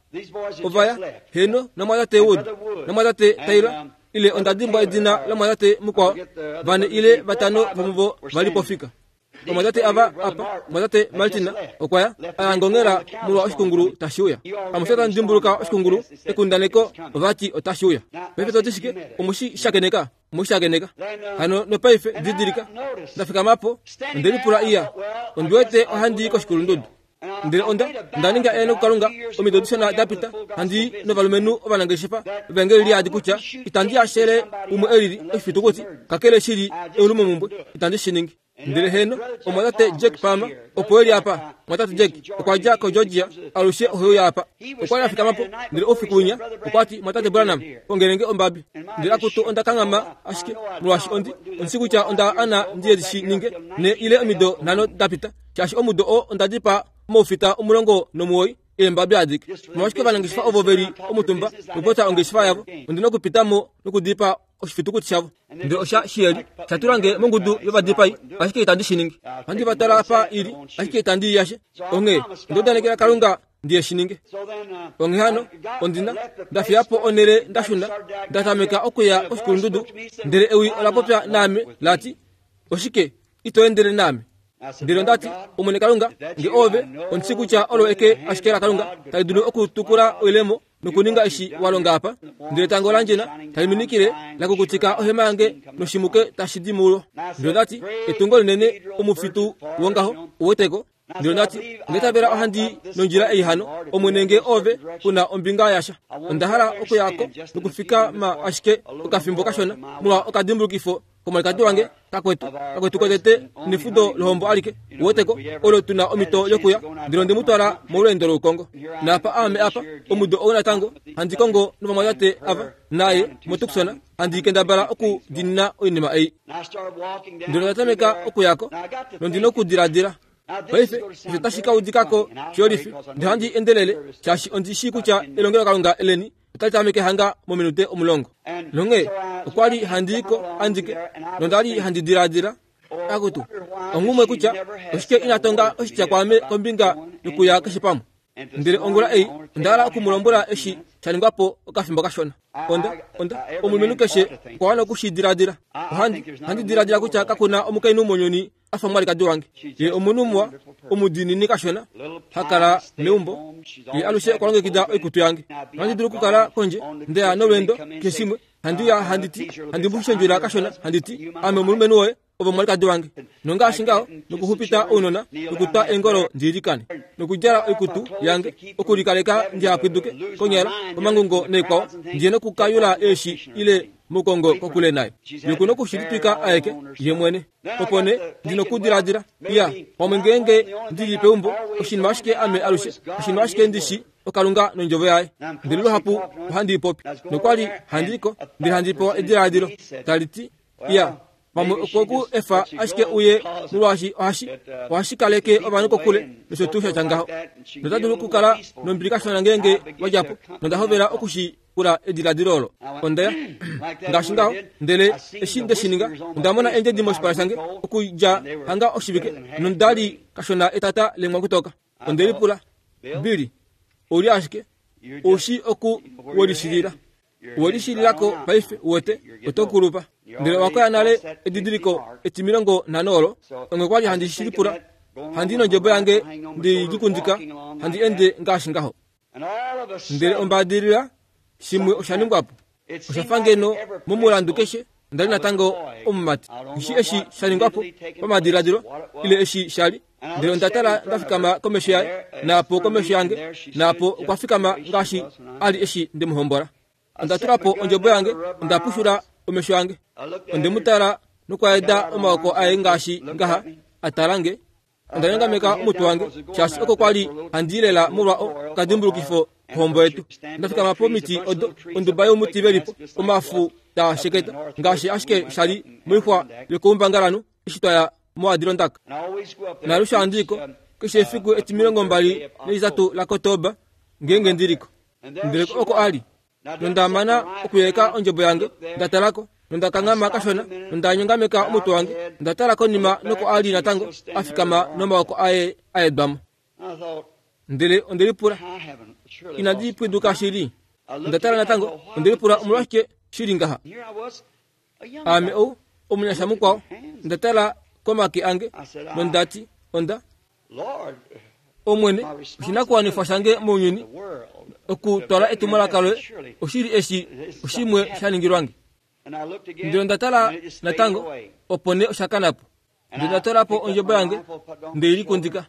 ovaya heno namwatate Wood namwatate Taylor ile onda dimbwa edina lamwatate mukwao, vane ile vatano vomuvo va li pofika. Omwatate ava apa, omwatate Martin okwa ya a ngongela molwa oshikungulu tashi uya. Amushe tamu dimbuluka oshikungulu ekundaneko ovati otashi uya. Paife toti shike? Omushi shakeneka, omushi shakeneka. Hano nopaife didilika ndafikama po onde lipula iya ondi wete ohandi i koshikulundudu. Ndele onda onda ninga eano kuKalunga omido dishona da pita handi novalumenhu ovanangeshefa vevangeli liyadi kutya itandi ashele umwe elili oshifitukuti kakele shili eulumomumbwe itandi shi ningi. Ndele heno omwatate Jack Palmer opo eli apa. Omwatate Jack okwa dja koGeorgia alushe oheuya apa. Okwa li a fikama po ndele oufiku winya okwa ti omwatate Branham kongelenge ombabi. Ndele akutu onda kanghama ashike molwaashi ondi ondi kutya onda ana ndiye shi ninge ne ile omido nhano da pita shaashi omudo oo onda dipa omaufita omulongo nomuwoi eembabi adike. Omolwashike ovanangeshefa ovo veli omutumba nokupota ongeshefa yavo ondina okupitamo nokudipa oshifitukuti shavo. Ndele osha shiyeli sha tula nge mongudu yovadipai ashike itandi shi ningi. Ohandi va tala apa ili ashike itandi i yashe. Onghee onda udanekela Kalunga ndiye shi ninge. Onghee hano ondina ndafiya po onhele ndashuna nda tameka okuya koshikulundudu, ndele ewi ola popya naame lati oshike ito endele naame? Ndele ondati Omwene Kalunga nge ove ondi shi kutya olo eke ashike laKalunga tali dulu okutukula oilemo nokuninga eshi wa longa apa. Ndele etango landjena tali minikile la kukutika ohema yange noshimuke tashi di mulo. Ndele ondati etungo linene omufitu wongaho uweteko. Ndele ondati ondaitavela ohandi nondjila ei hano Omwene nge ove kuna ombinga yasha. Onda hala okuyako nokufikama ashike okafimbo kashona molwa okadimbulukifo komwalikadi wange kakwetu kakwetu kotete nefudo lohombo alike uweteko olo tuna omhito yokuya. Ndele onde mu twala molweendo loukongo. Naapa aame apa omudo ou natango handi kongo novamwatate ava naye moTucson handi kendabala okudinina oinima ei. Ndele onda tameka okuyako nondina okudiladila paife osho tashi ka udikako shiyolifi. Ndele handi endelele shaashi ondi shii kutya elongelokalunga eleni otali tameke hanga mominute omulongo. Nonghee okwa li handi iko andike nonda li handi diladila akutu onghumwe kutya oshike ina tonga oshitya kwaame kombinga yokuya keshe pamwe. Ndele ongula ei onda hala okumulombwela eshi sha ningwa po okafimbo kashona. Onda onda omulumenhu keshe okwa wana okushidiladila. Ohandi handi diladila kutya kakuna omukainhu mounyuni a fa omwalikadi wange. Ye omunhu muwa, omudiinini kashona, ha kala meumbo. Ye alushe okwa longekida oikutu yange. Ohandi dulu okukala kondje ndeya nolweendo keshe shimwe. Handi uya handi ti, handi mu shendjula kashona, handi ti, ame omulumenhu woye, ove omwalikadi wange. Nongaashi ngaho, nokuxupita ounona, nokutwa eengolo ndiilikane, nokudjala oikutu yange, okulikaleka ndihapwiduke konyala omangungo naikwao, ndiye nokukayula eeshi ile mukongo kokule naye. Ye okuna okushilitwika aeke ye mwene. Opo nee ndi nokudiladila, iya, pamwe ngeenge ndili peumbo, oshinima ashike ame alushe, oshinima ashike ndishi okalunga nondjovo yaye. Ndele luhapu ohandi i popi. Nokwali handi ko, ndele handi pewa ediladilo tali ti, iya, pamwe okwoku efa ashike uye molwaashi ohashi ohashi kaleke ovanhu kokule nosho tuu sha tya ngaho. Nota dulu okukala nombili kashona ngeenge wa dja po. Nonda hovela okushikula ediladilo olo. Ondaya ngaashi ngaho, ndele eshi nde shi ninga, onda mona eendjedi moshipala shange okudja hanga oshivike, nondali kashona etata lemwa kutoka. Onde lipula, Billy, ouli ashike oushi oku welishilila. Welishililako paife uwete oto kulupa. Ndele owa koya nale edidiliko etimilongo nhano olo. Onge kwali handi shilipula, handi nondjebo yange ndi likundika, handi ende ngaashi ngaho. Ndele ombadilila shimwe osha ningwa po. Osha fa ngeno momulandu keshe ndali natango omumati. Nghishi eshi sha ningwa po pamadiladilo ile eshi sha li. Ndele onda tala nda fikama komesho yaye, naapo komesho yange, naapo okwa fikama ngaashi a li eshi nde mu hombola. Onda tula po ondjebo yange, onda pushula omesho ange. Onde mu tala nokwaeda omaoko aye ngaashi ngaha a tala nge. Onda nyongameka omutwe wange, shaashi oko kwali handi lela molwa okadimbulukifo kohombo yetu. Onda fikama pomiti odo, onduba yomuti velipo, omafu taa sheketa, ngaashi ashike sha li moixwa yokoumbangalanhu eshi twaya moAdirondaka. Naalushe handi iko, keshe efiku etimilongo mbali naitatu laKotoba, ngeenge ndiliko. Ndele oko a li. Nonda mana okuyeka ondjebo yange, nda talako, nonda kanghama kashona, nonda nyongameka omutwe wange, nda tala konima noko a li natango a fikama nomaoko aye a edwamo. Ndele onde lipula, inandi pwiduka shili. Onda tala natango, onde lipula omolwashike shili ngaha. Ame ou omunyasha mukwao, nda tala komake ange, nondati, onda Omwene, oshinakuwanifwa shange mounyuni okutwala etumwalaka loye, oshili eshi oshimwe sha ningilwange. Ndele onda tala natango, opo nee osha kana po. Ndele nda tola po ondjebo yange, nde i likundika.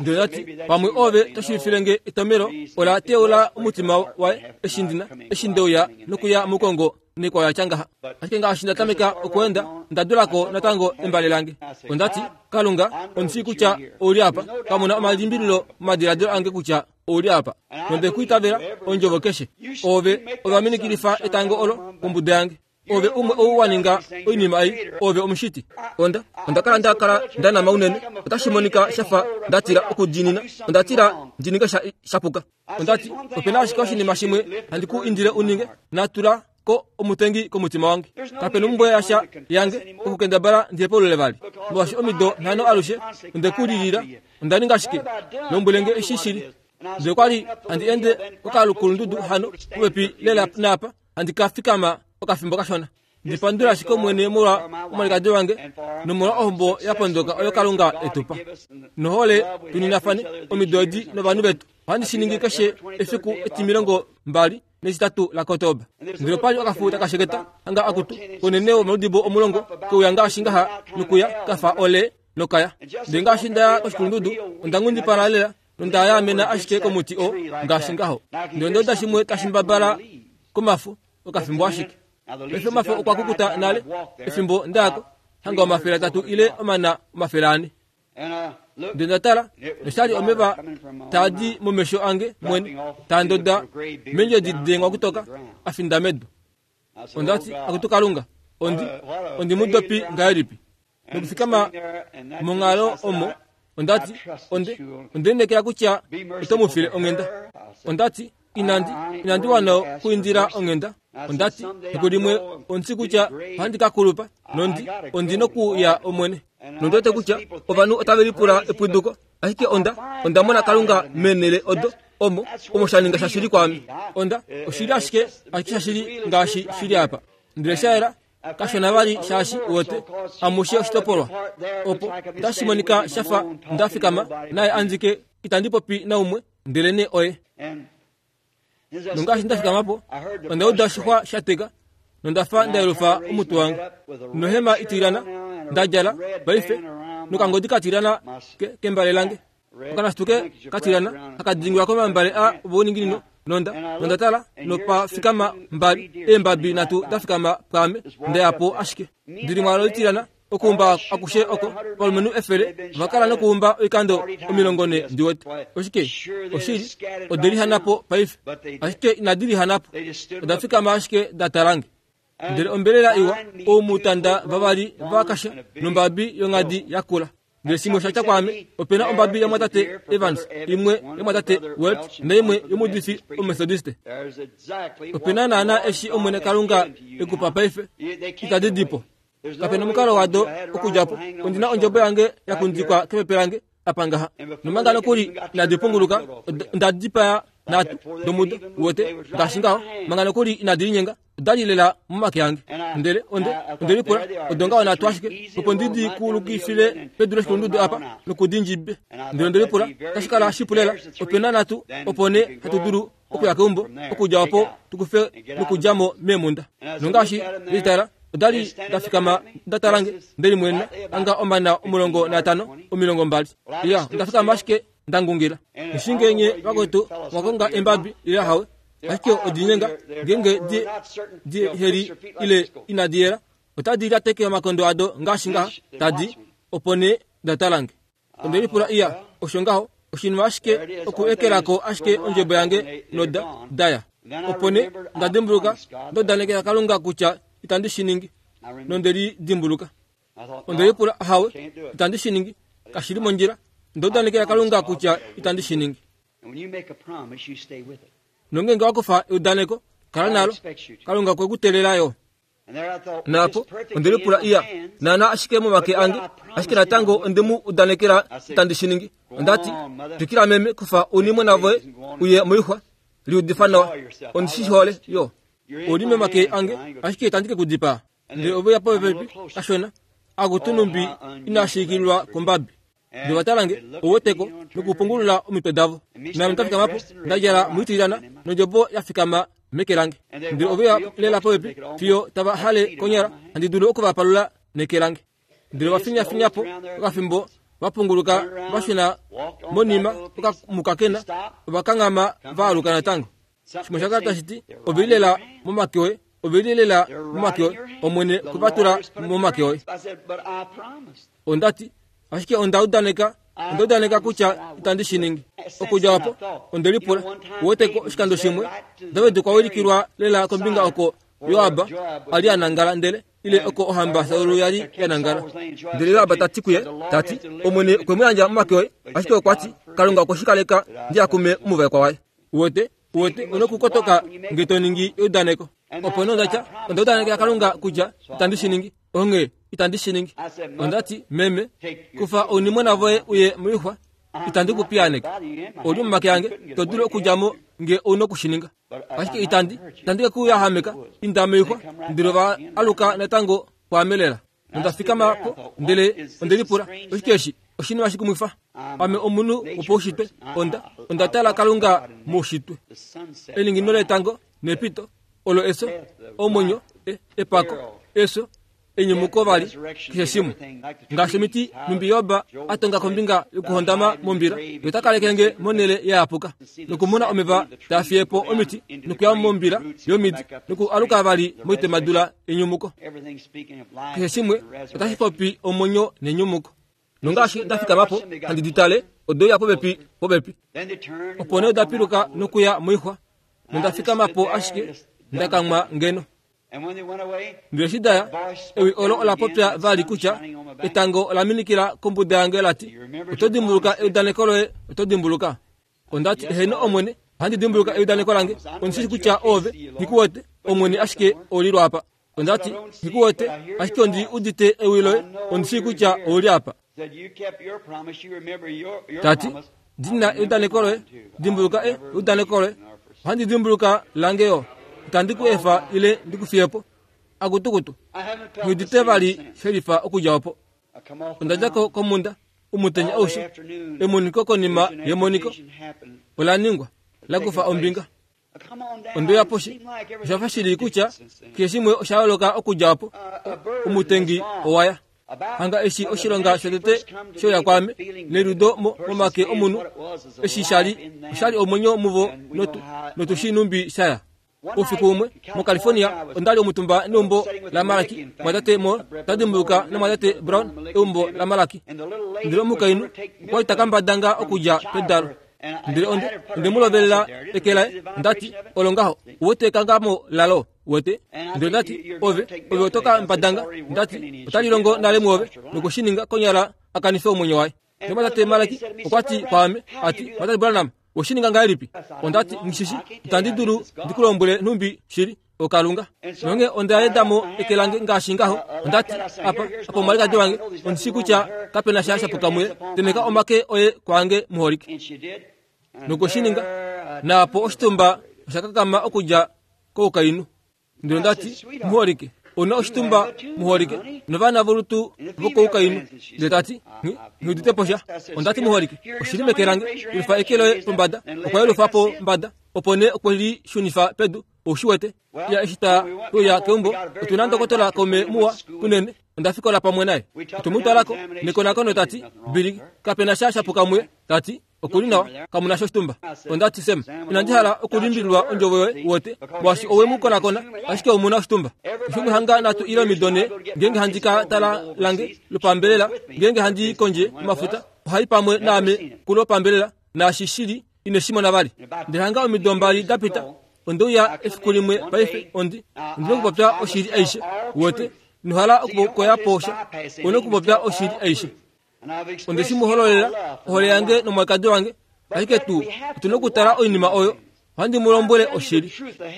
Ndele ndati, pamwe ove to shiivifile nge etomelo ola teula omutima waye eshi ndina, eshi ndeuya nokuya mukongo nekwao ya tya ngaha. Ashike ngaashi nda tameka okweenda, nda dulako natango embale lange. Ondati, Kalunga, ondi shii kutya ouli apa. Kamuna omalimbililo momadiladilo ange kutya ouli apa. Nonde ku itavela ondjovo keshe. Ove ovaminikilifa etango olo kombuda yange. Ove umwe ou wa ninga oinima ei, ove omushiti. Onda onda kala nda kala nda nama unene, otashi monika shafa nda tila okudiinina, onda tila ndi ninge sha shapuka. Ondati, opena ashike oshinima shimwe handi ku indile u ninge, natula ko omutengi komutima wange. Kapena ombumbwe yasha yange okukendabala ndi hepaulule vali. Molwaashi omido nhano alushe onde ku lilila, onda ninga ashike lombwele nge eshi shili. Ndele okwali handi ende kokalukulundudu hano popepi lela naapa, handi ka fikama okafimbo kashona. Ndi pandula ashike Omwene molwa omwalikadi wange nomolwa ohombo ya pondoka oyo Kalunga e tu pa. Nohole tuninafane omido edi novanhu vetu. Ohandi shi ningi keshe efiku etimilongo mbali netitatu laKotoba. Ndele opali okafu taka sheketa hanga akutu konene womaludibo omulongo keuya ngaashi ngaha nokuya kafa ole nokaya. Ndele ngaashi ndaya koshikulundudu, onda nghundipala lela nonda yaamena ashike komuti oo ngaashi ngaho. Ndele onda uda shimwe tashi mbabala komafo okafimbo ashike. Paife omafo okwa kukuta nale efimbo ndayako, hanga omafele atatu ile omana omafele ane. Ndele nda tala, noshali omeva taa di momesho ange mwene, taa ndoda meendjedi dengwa kutoka, a finda medu. Ondati, akutu Kalunga, ondi ondi mudopi ngahelipi? Nokufikama monghalo omo, ondati, onde onde lineekela kutya oto mu file onghenda. Ondati, inandi inandi wana okuindila onghenda. Ondati, efiku limwe ondi kutya ohandi ka kulupa, nondi ondi nokuya Omwene. Nondiwete kutya ovanhu otave lipula epwiduko, ashike onda onda mona Kalunga meenhele odo Omo omo sha ninga shashili kwaame. Onda oshili ashike ashike shashili ngaashi shili apa. Ndele shaela kashona vali shaashi wote amushe oshitopolwa. Opo otashi monika shafa ndafikama naye anzike itandi popi naumwe ndele ne oye. Nongaashi ndafikamapo onda uda oshixwa sha teka nondafa ndayelufa omutwe wange. Nohema itilana ndadjala paife nokangodi katilana kembale lange. Okanasituke katilana akadingilwa komambale a vouninginino nonda nonda tala nopa fikama mbali eembabi natu dafikama pwaame ndeyapo ashike. Ndili mwalo itilana okuumba akushe oko valumenhu efele vakala nokuumba oikando omilongo ne ndiwete. Oshike oshili odelihanapo paife ashike inadilihanapo odafikama ashike datalange. Ndele ombelela iwa oumutanda vavali vakasha nombabi yongadi yakula. Ndele shimwe sha tya kwaame opena ombabi yamwatate Evans imwe yamwatate Welch naimwe yomuudifi Omethodiste. Opena naana eshi Omwene Kalunga ekupa paife itadi dipo. Kapena omukalo wado okudjapo. Ondina ondjobo yange yakundikwa kepepe lange apa ngaha. Nomanga nokuli inadi punguluka ondadipaya natu domudo wote ngaashi ngaho manga nokuli inadi linyenga odali lela momake ange. Ndele onde ondelipula odonga natu ashike opo ndidi kulukifile pedu loshikulundudu apa nokudindjibe. Ndele ondelipula tashi kala shipu lela opena natu opo ne hatu dulu okuya keumbo okudja opo tukufe nokudjamo meemunda. Nongaashi nditala odali ndafikama ndatalange ndeli mwena anga omana omulongo natano omilongo mbali. Ya ndafikama ashike ndangungila. Nishingenye vakwetu mwakonga embabi ile hawe ashike odinyenga ngenge di di heri ile inadiera otadi lateke omakondo ado ngaashi ngaha tadi opo ne ndatalange. Ondelipula iya osho ngaho oshinima ashike okuekelako ashike ondjebo yange noda daya. Opo ne ndadimbuluka ndodanekela Kalunga kutya itandi shiningi nondeli dimbuluka. Ondelipula hawe itandi shiningi kashili mondjila ndodanekela Kalunga kutya itandi shiningi. Nongenge wakufa eudaneko kala nalo Kalunga kwekutelelayo. Napo ondelipula iya nana ashike momake ange ashike natango ondemu udanekela itandi shiningi. Ondati twikila meme kufa unimwe voye uye moixwa liudifa nawa ondishihole yo oli momake ange ashike itandike kudipaa. Ndele oveya popepi kashona akutunumbi inashikilwa kombabi. Ndele vatalange oweteko nokupungulula omitwe davo. Name ndafikamapo ndadjala muitilana nondjobo yafikama meke lange. Ndele oveya lela popepi fiyo tava hale konyala handi dulu okuvapalula neke lange. Ndele vafinyafinyapo okafimbo vapunguluka vashuna monima okamukakena ovakangama vaaluka natango. Shimwe shakala tashiti ovelilela momake oye ovelilela momake oye Omwene kuvatula momake oye. Ondati ashike ondaudaneka ondaudaneka kutya itandi shiningi. Okudja opo ondelipula uweteko oshikando shimwe David okwa wilikilwa lela kombinga oko Joab ali anangala ndele ile oko ohamba Saul yali yanangala. Ndele Joab tati kuye tati Omwene okwe mu yandja momake oye ashike okwati Kalunga okweshikaleka ndiakume omuvaekwa waye. Uwete uwete unokukotoka nge to ningi eudaneko. Opo nondatya ondaudanekela Kalunga kutya itandi shiningi. Onge itandi shiningi. Ondati meme kufa ounimwena voye uye moixwa itandi kupiyaneke. Oli momake ange to dulu okudjamo nge ounokushininga. Ashike itandi itandi kekuyahameka inda moixwa. Ndele va aluka natango pwaamelela. Nondafikamapo ndele ondelipula oshike eshi oshinima shikumwifa. Ame omunhu wopaushitwe onda ondatala Kalunga moushitwe. Elingino letango nepito olo eso omwenyo epako eso enyumuko vali keshe shimwe. Ngaashi omiti numbi Yoba atonga kombinga yokuhondama mombila yotakalekenge monele yayapuka nokumona omeva tafiyepo omiti nokuya mombila yomidi noku aluka vali moitemadula enyumuko. Keshe shimwe otashi popi omwenyo nenyumuko. Nongaashi ndafikamapo handi ditale odoya popepi popepi. Opo nee odapiluka nokuya moixwa nondafikamapo ashike ndakamwa ngeno. Ndele eshi daya ewi olo ola popya vali kutya etango ola minikila kombuda yange lati oto dimbuluka eudaneko loye oto dimbuluka. Ondati eheno Omwene ohandi dimbuluka eudaneko lange ondishishi kutya ove ngikuwete Omwene ashike oli lwapa. Ondati ngikuwete ashike ondi udite ewi loye ondishii kutya ouli apa. Tati Dina eudaneko loye, dimbuluka e eudaneko loye. Ohandi dimbuluka lange yo. Itandi ku efa ile ndikufiye po. Akutukutu. Ngidite vali shelifa okudja opo. Onda dja ko komunda umutenya aushe. Emoniko konima yemoniko ola ningwa la kufa ombinga. Ondoya poshi oshafa shili kutya keshe shimwe osha yooloka okudja opo. Omutengi owaya. Hanga eshi oshilonga shotete shoya kwame neludo momake omunhu eshi shali oshali omwenyo muvo notu notushinumbi shaya. Ufiku umwe mu California ondali omutumba neumbo la Malaki mwatate mo tadimbuluka namwatate Brown eumbo la Malaki. Ndele omukainhu okwali takambadanga okudja pedalo. Ndele onde onde mulovelela eke laye ndati olo ngaho uwete kangamo lalo wete. Ndele ndati ove ove otoka mbadanga ndati otali longo nale muove nokushininga konyala akanife omwenyo waye. Ndele Malaki okwati kwame ati mwatate Branham oshininga ngahelipi? Ondati ngishishi itandi dulu ndikulombwele nhumbi shili okalunga. Nonge ondaedamo eke lange ngaashi ngaho. Ondati apa apa omwalikadi wange ondishi kutya kapena sha shapuka muye. Temeka omake oye kwange muholike. Nokushininga naapo oshitumba oshakakama okudja koukainhu. Ndele ndati muholike ona oshitumba muholike novana volutu vokoukainhu. Ndele tati nghiudite posha. Ondati muholike oshili meke lange yelufa eke loye pombada. Okwa yelufa pombada opo nee okwe li shunifa pedu. Oushi wete ya eshi ta uya keumbo otuna ndokotola kaume muwa unene. Onda fikola pamwe naye. Otumutwalako nekonakono tati Bili kapena sha shapuka muye. Tati okuli nawa kamuna sho oshitumba. Ondati Sem inandi hala okulimbililwa ondjovo yoye wote molwaashi owe mu konakona ashike omuna oshitumba. Shimwe hanga natu ile omido ne ngenge handi ka tala lange lopambelela ngenge handi kondje mafuta ohai pamwe naame kulopambelela naashi shili ine shimona vali. Ndele hanga omido mbali dapita ondouya efiku limwe paife ondi ndine okupopya oshili aishe wote nohala okukoya posha one okupopya oshili aishe. Onde shimuhololela ohole yange nomwakadi wange ashike tuu otuna okutala oinima oyo. Ohandi mu lombwele oshili.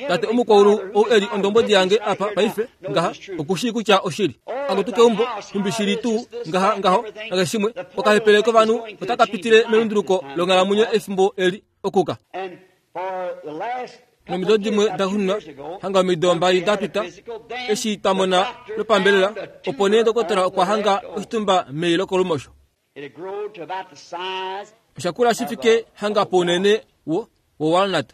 Tate omukwaulu ou eli ondombwedi yange apa paife ngaha okushii kutya oshili. Akutu keumbo nhumbi shili tuu ngaha ngaho nakeshe shimwe okahepele kovanhu otaka pitile melunduluko longhalamwenyo efimbo eli okuka. Nomido dimwe da xununa hanga omido mbali dapita eshi twamona lopambelela opo nee ndokotola okwa hanga oshitumba mei lokolumosho. Oshakula shifike hanga pounene wo wowalnut.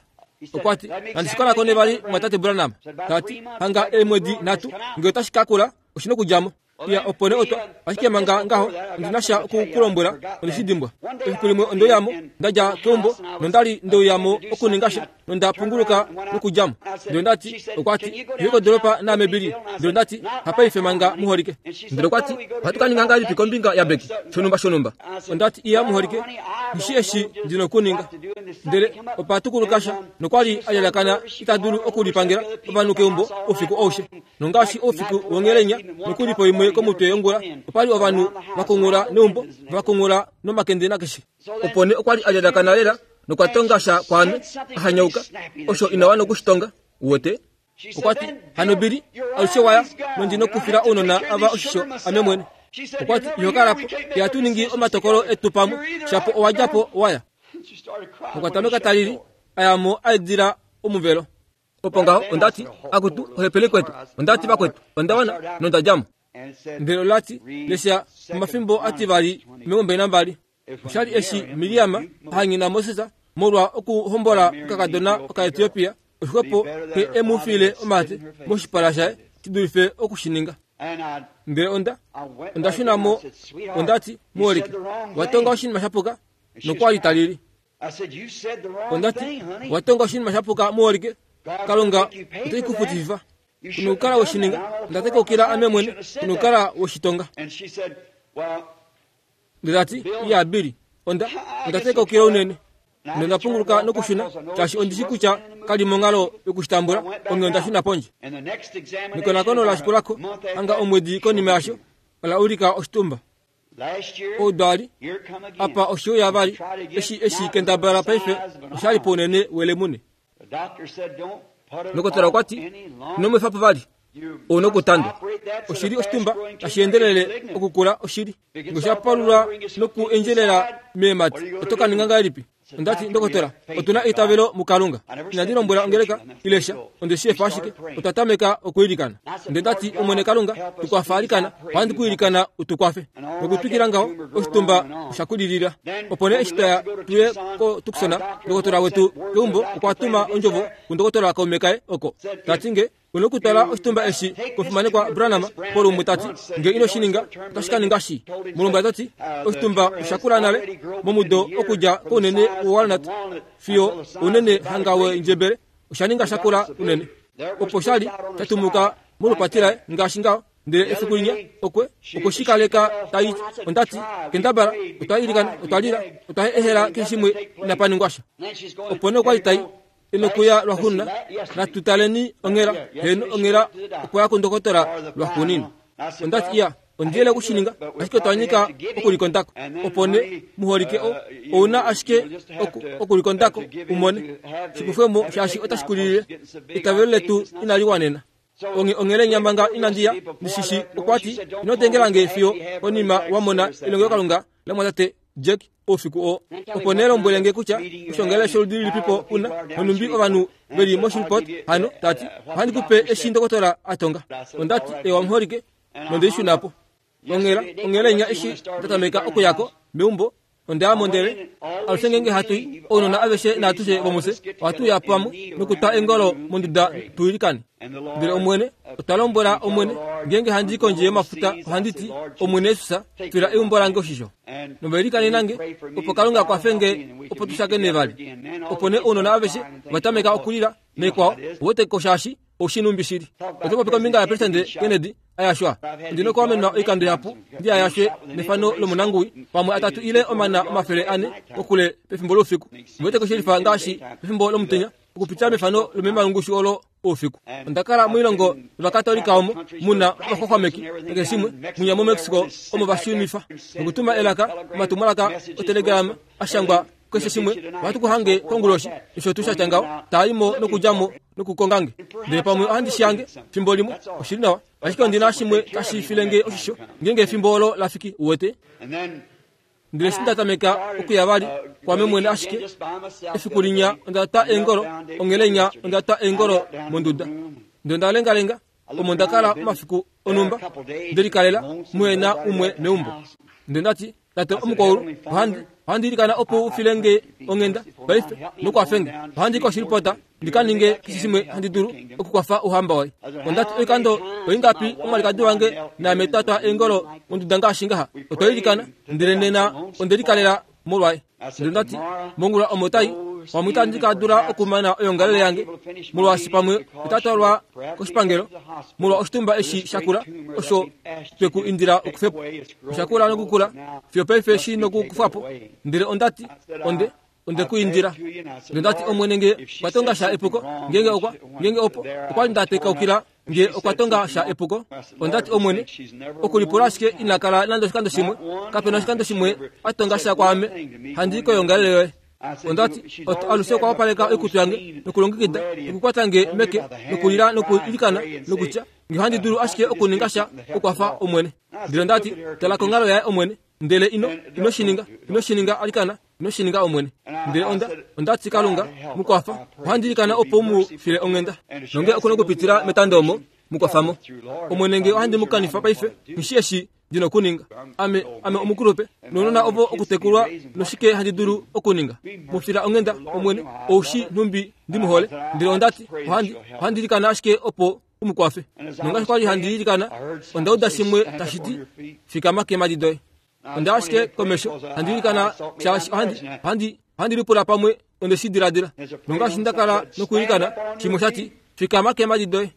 Okwati nandishikonakone vali mwatate Branham. Tati hanga eemwedi nhatu ngee otashi kakula oshina okudjamo. Ya opo nee otwa ashike manga ngaho ondina sha okukulombwela ondeshidimbwa. Efiku limwe ondoyamo ndadja keumbo nondali ndeuyamo okuninga sha nonda punguluka nokudjamo. Ndele ndati okwati iye kodoropa naame Bili. Ndele ndati hapaife manga muholike. Ndele okwati ohatu ka ninga ngahelipi kombinga yaBeki shonumba shonumba. Ondati iya muholike ngishi eshi ndina okuninga. Ndele opa tukuluka sha nokwali alyalakana ita dulu okulipangela ovanhu keumbo oufiku aushe. Nongaashi oufiku wongelenya nokulipo imwe komutwe yongula opali ovanhu vakungula neumbo vakungula nomakende nakeshe. Opo nee okwali alyalakana lela nokwatonga sha kwaame ahanyauka osho inawana okushitonga wote. Okwati hano Bili alushe waya nondina okufila ounona ava oshisho ame mwene. Okwati ihokalapo ihatu ningi omatokolo etu pamwe shapo owadjapo waya. Okwatameka talili ayamo aedila omuvelo. Opo ngaho ondati akutu ohepele kwetu ondati vakwetu ondawana nondadjamo. Ndele olati lesha omafimbo ativali omilongo mbali nambali. Oshali eshi Miriam ahangina Moses molwa okuhombola okakadona okaEthiopia oshixwepo xe emufile omate moshipala shaye shidulife okushininga. Ndele onda onda shunamo ondati muholike watonga oshinima shapuka nokwali talili. Ondati watonga oshinima shapuka muholike Kalunga ote kufutifa. Kunokukala woshininga ndatekoukila ame mwene kunokukala woshitonga. Ndele iya Bili onda ndatekoukila unene. Nonda punguluka nokushuna shaashi ondishi kutya kali monghalo yokushitambula onge onda shuna pondje. Nekonakono lashikulako hanga omwedi konima yasho ola ulika oshitumba. Oudali apa oshiuya vali eshi eshi kendabala paife oshali pounene welemune. Ndokotola okwati inomwefapo vali Ouna okutandwa. Oshili oshitumba tashi endelele okukula oshili. Ngosha palula noku endjelela meemati. Oto ka ninga ngahelipi? Ondati ndokotola, otuna eitavelo muKalunga. Inandi lombwela ongeleka ilesha, onde shi efa ashike, otwa tameka okuilikana. Nde ndati Omwene Kalunga, tukwafa alikana, ohandi kuilikana utukwafe. Nokutwikila ngaho, oshitumba osha kulilila. Opo nee eshi twaya tuye ko Tucson, ndokotola wetu keumbo okwa tuma ondjovo kundokotola kaume kaye oko. Tati nge una okutwala oshitumba eshi komufimanekwa Branham polumwe tati nge ino shi ninga otashi ka ninga shi. Mulombwela tati oshitumba osha kula nale momudo okudja kounene wowalnut fiyo unene hanga wendjebele osha ninga sha kula unene. Opo shali shatumuka molupati laye ngaashi ngaho. Ndele efiku linya okwe okushikaleka tai ondati kendabala otwa ilikana otwa lila otwa ehela keshe shimwe inapa ningwa sha. Opo nee okwa li tai enokuya lwaxuuninwa natutaleni onghela heno onghela okwa ya kundokotola lwaxuuninwa. Ondati iya ondiyele okushininga ashike otwa nyika okulikondako. Opo nee muholike o ouna ashike okulikondako umone shikufwemo shaashi otashi kulilile. Eitavelo letu inali wanena. Onge onghele nyamanga inandiya ndishishi okwati ino tengelange fiyo konima wamona elongelokalunga lamwatate Jack oufiku oo. Opo nee lombwelenge kutya oshongele sholudi lilipipo una nonumbi ovanhu veli moshilipot hano tati ohandi kupe eshi ndokotola atonga. Ondati ewa muholike nondeishunapo. Onghela onghele nya eshi ndatameka okuyako meumbo ondeamo ndele alushe ngenge hatui ounona aveshe naatushe vomuse ohatu ya pamwe nokutwa engolo monduda tuilikane. Ndele Omwene otwa lombwela Omwene ngenge handi kondje yomafuta ohandi ti Omwene Yesus fila eumbo lange oshisho. Novailikaneni nange opo Kalunga kwafenge opo tushakene vali. Opo nee ounona aveshe vatameka okulila naikwao oweteko shaashi oshinumbi shili. Oto popi kombinga yapresidente Kennedy ayashwa. Ondina okuwamenwa oikando yapu ndi ayashwe nefano lomonanguwi pamwe atatu ile omana omafele ane kokule pefimbo loufiku. Oweteko shelifa ngaashi pefimbo lomutenya okupitila mefano lomemalungushu olo oufiku. Onda kala moilongo yovakatolika omo muna ovaxwaxwameki nakeshe shimwe munya moMexico omo vashunifa nokutuma elaka omatumwalaka otelegrama ashangwa keshe shimwe ohatu kuhange konguloshi osho tuu shatya ngaho taaimo nokudjamo nokukongange. Ndele pamwe ohandi shihange fimbo limwe oshili nawa ashike ondina shimwe tashi filenge oshisho ngenge efimbo olo lafiki uwete. Ndele eshi ndatameka okuya vali kwame mwene ashike efiku linya onda twa eengolo onghele inya onda twa eengolo monduda. Ndele onda lengalenga omo nda kala omafiku onumba ndelikalela muhena umwe meumbo. Ndele ndati tate omukwaulu ohandi ohandi ilikana opo ufilenge onghenda paife nokwafenge. Ohandi koshilipota ndikaninge keshe shimwe handi dulu okukwafa ouhamba waye. Ondati oikando oingapi omwalikadi wange naame twatwa eengolo monduda ngaashi ngaha otwa ilikana ndele nena ondelikalela molwaye. Ndele ndati mongula omo tai pamwe itandi ka dula okumana oyongalele yange molwaashi pamwe otatwalwa koshipangelo molwa oshitumba eshi shakula osho tweku indila okufepo. Oshakula nokukula fiyo paife shi nokukufwapo. Ndele ondati onde onde kuindila. Ndele ndati Omwene nge okwa tonga sha epuko ngenge okwa ngenge opo okwa ndateikaukila nge okwa tonga sha epuko. Ondati Omwene okulipula ashike ina kala nande oshikando shimwe kapena oshikando shimwe atonga sha kwaame handi koyongalele yoye. Ondati alushe okwa wapaleka oikutu yange nokulongekida nokukwata nge meke nokulila nokuilikana nokutya nge ohandi dulu ashike okuninga sha okwafa Omwene. Ndele ndati tala konghalo yaye Omwene ndele ino ino shininga ino shininga alikana ino shininga Omwene. Ndele onda ondati Kalunga mukwafa ohandi ilikana opo mu file onghenda nonge okuna okupitila metando omo mukwafamo. Omwene nge ohandi mukanifa paife ngishi eshi ndina okuninga. Ame ame omukulupe nounona ovo okutekulwa noshike handi dulu okuninga. Mufila onghenda Omwene oushi nhumbi ndimuhole. Ndele ondati ohandi ohandi ilikana ashike opo umukwafe. Nongaashi kwali handi ilikana onda uda shimwe tashi ti fikama keemadi doye. Onda ashike komesho handi ilikana shaashi ohandi ohandi ohandi lipula pamwe onde shi diladila. Nongaashi ndakala nokuilikana shimwe shati fikama keemadi doye.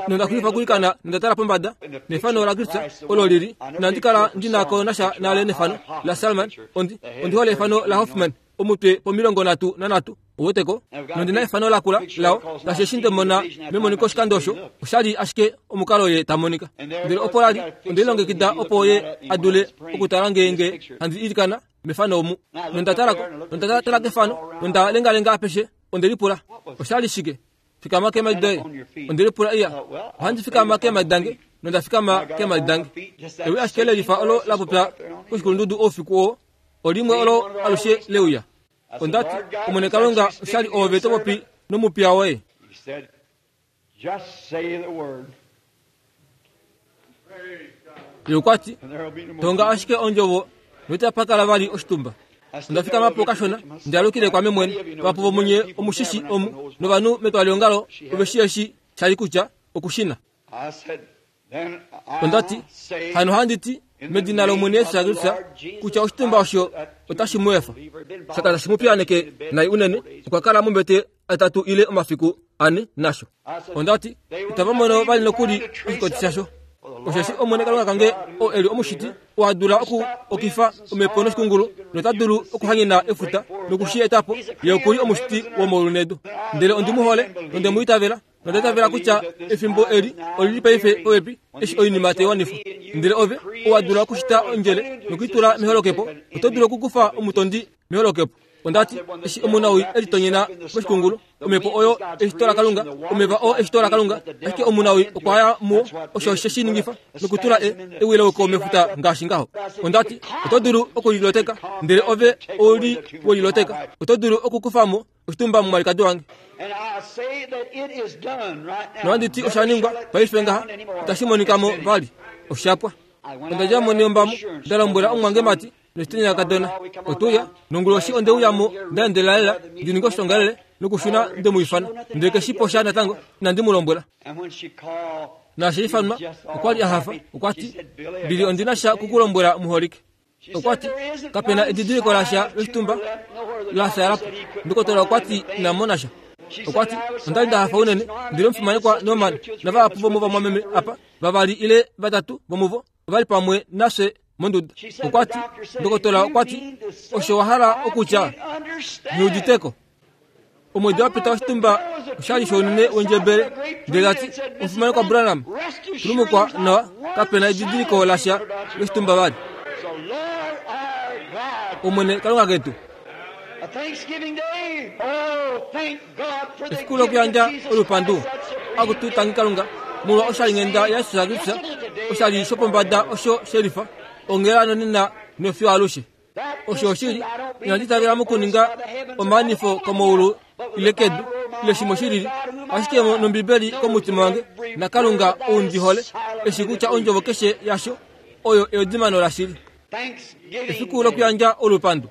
Nonda xulifa okuilikana nonda tala pombada nefano laKristus olo lili inandi kala ndinako nasha nale nefano la Salman. Ondi ondi hole efano la Hoffman omutwe pomilongo nhatu nanhatu oweteko. Nondina efano lakula lao ngaashi eshi ndemona memoniko oshikando osho oshali ashike omukalo ye tamonika. Ndele opo lali ondelilongekida opo ye adule okutala ngeenge handi ilikana mefano omu. Nonda talako nonda tala kefano nonda lengalenga apeshe ondelipula oshali shike. Fikama keemhadi doye. Onde lipula iya, ohandi fikama keemhadi dange, nonda fikama keemhadi dange. Ewi ashike lelifa olo la popya koshikulundudu oufiku oo, olimwe olo alushe leuya. Ondati, Omwene Kalunga, oshali oove to popi nomupiya woye. He said, just say the word, Ye okwa ti, and there will be no more. tonga ashike ondjovo noitapa kala vali oshitumba. Onda fikama po kashona, ndi alukile kwame mwene. Vapo vomunye omushishi omu novanhu metwaliongalo ove shi eshi shali kutya okushina. I said, then I Ondati, say, hano handi ti medina lOmwene Yesu Kristus kutya oshitumba osho otashi mu efa. Shaka tashi mu piyaneke nai unene, okwa kala mombete atatu ile omafiku ane nasho. Ondati, itava mono vali nokuli oshikoti shasho. Osheshi Omwene Kalunga kange oo eli omushiti, owa dula oku okifa omhepo noshikungulu, nota dulu okuhanyena efuta nokushi eta po. Ye okuli omushiti womaulu nedu. Ndele ondi mu hole, nonde mu itavela, nonda itavela kutya efimbo eli olili paife popepi eshi oinima tai wanifwa. Ndele ove owa dula okushita ondjele nokuitula meholokepo, oto dulu okukufa omutondi meholokepo. Ondati, eshi omunawii e litonyena moshikungulu, omhepo oyo eshito laKalunga, omeva oo eshito laKalunga, ashike omunawii okwa ya muwo, osho she shi ningifa nokutula e, ewileuko mefuta ngaashi ngaho. Ondati, oto dulu okuliloteka, ndele ove ouli weliloteka, oto dulu okukufa mo oshitumba momwalikadi wange. And I say that it is done right now. Nohandi ti osha ningwa paife ngaha, itashi monika mo vali, oshapwa. Onda dja mo neyombamo, nda lombwela omumwangemati noshitenya kadona, otuya nonguloshi onde uya mo nda endelela lela ndi ninge oshongalele nokushuna nde mu ifana, ndele keshi po sha natango inandi mu lombwela. And when she called, Naashi ifanwa okwa li a hafa, okwa ti, Bili ondi na sha kukulombwela muholike. Okwa ti, kapena edidiliko lasha loshitumba la fyala po. Ndokotola okwa ti ina mona sha. Okwa ti, onda li nda hafa unene, ndele omufimanekwa Norman navahapu vomovamwameme apa, vavali ile vatatu vomuvo ovali pamwe nafye monduda. Okwa ti, ndokotola okwa ti, osho wa hala okutya nghiuditeko. Omwedi wa pita oshitumba oshali shounene wendjebele, ndele ta ti, omufimanekwa Branham, tulumukwa nawa, kapena edidiliko lasha loshitumba vali. So Lord our God, Omwene Kalunga ketu, a Thanksgiving Day. Oh, thank God for the efiku gift of lokuyandja Jesus olupandu Christ, that supreme akutu tangi Kalunga molwa oshalinghenda yaJesus Kristus, oshali shopombada osho shelifa ongela nonena nofiyo alushe. Osho oshili, inandi itavela mokuninga omaanifo komaulu ile kedu ile shimwe shilili, ashike nOmbibeli komutima wange naKalunga ou ndi hole, eshi kutya ondjovo keshe yasho oyo eudimano lashili. Thanksgiving Efiku Day. lokuyandja olupandu.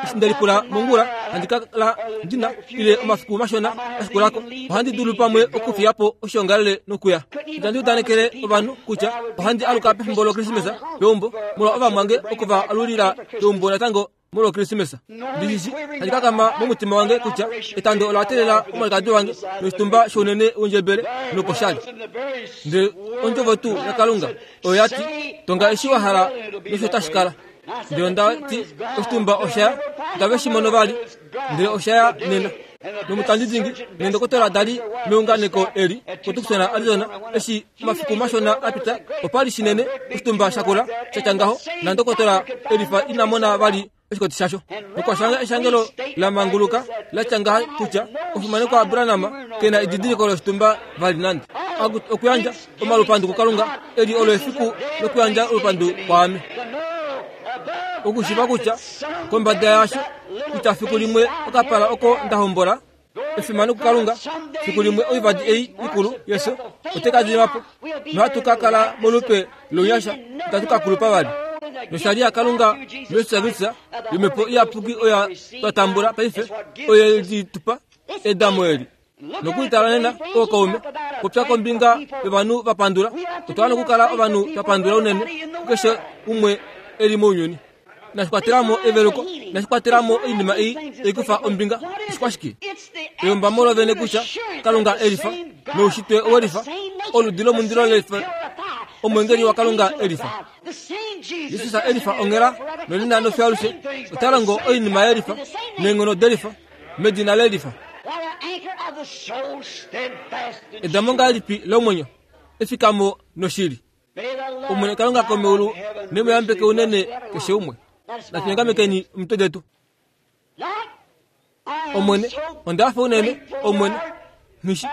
Eshi nde lipula mongula, handi kala ndina ile omafiku mashona ashikulako, ohandi dulu pamwe okufiya po oshiongalele nokuya. Itandi udanekele ovanhu kutya ohandi aluka pefimbo loKrismesa peumbo, molwa ovamwange okuva alulila peumbo natango molwa Krismesa. Ndishi handi kakama momutima wange kutya etando ola teelela omwalikadi wange noshitumba shounene wondjebele noposhali. Ndele ondjovo tuu yaKalunga oyo ya ti, tonga eshi wa hala nosho tashi kala. Ndele onda ti, oshitumba osha ya, itave shi mono vali, ndele osha ya nena. Nomutandi dingi neendokotola dali meunganeko eli koTucson, Arizona, eshi omafiku mashona a pita, opa li shinene oshitumba shakula sha tya ngaho, nandokotola elifa ina mona vali oshikoti shasho. Nokwa shanga eshangelo la manguluka la tya ngaha kutya omufimanekwa Branham kena edidiliko loshitumba vali nande. Aku- Okuyandja omalupandu kuKalunga eli olo efiku lokuyandja olupandu kwaame. Okushiva kutya kombada yasho kutya fiku limwe okapala oko nda hombola efimano kuKalunga, fiku limwe oivadi ei ikulu yeso ote ka dima po, nohatu ka kala molupe lounyasha, itatu ka kulupa vali. Noshali yaKalunga muJesus Kristus yomhepo iyapuki oya twa tambula paife, oyo li tupa edamo eli. Nokwiitala nena ookaume, popya kombinga yovanhu va pandula, otwa hala okukala ovanhu twa pandula unene kukeshe umwe eli mounyuni. Nashi kwatelamo eveluko, nashi kwatelamo oinima ei taikufa ombinga, oshikwashike? Eyombamo lovene kutya Kalunga elifa, noushitwe owelifa, oludi lomundilo lelifa, omwengeli waKalunga elifa. Jesus elifa ongela nonena nofiyo alushe, ota longo oinima yelifa neenghono delifa medina lelifa. Edamo ngahelipi lomwenyo, efikamo noshili. Omwene Kalunga komeulu nemuyambeke unene keshe umwe. Natuyengamekeni omitwe detu. Omwene, onda hafa unene, Omwene. Nghishi,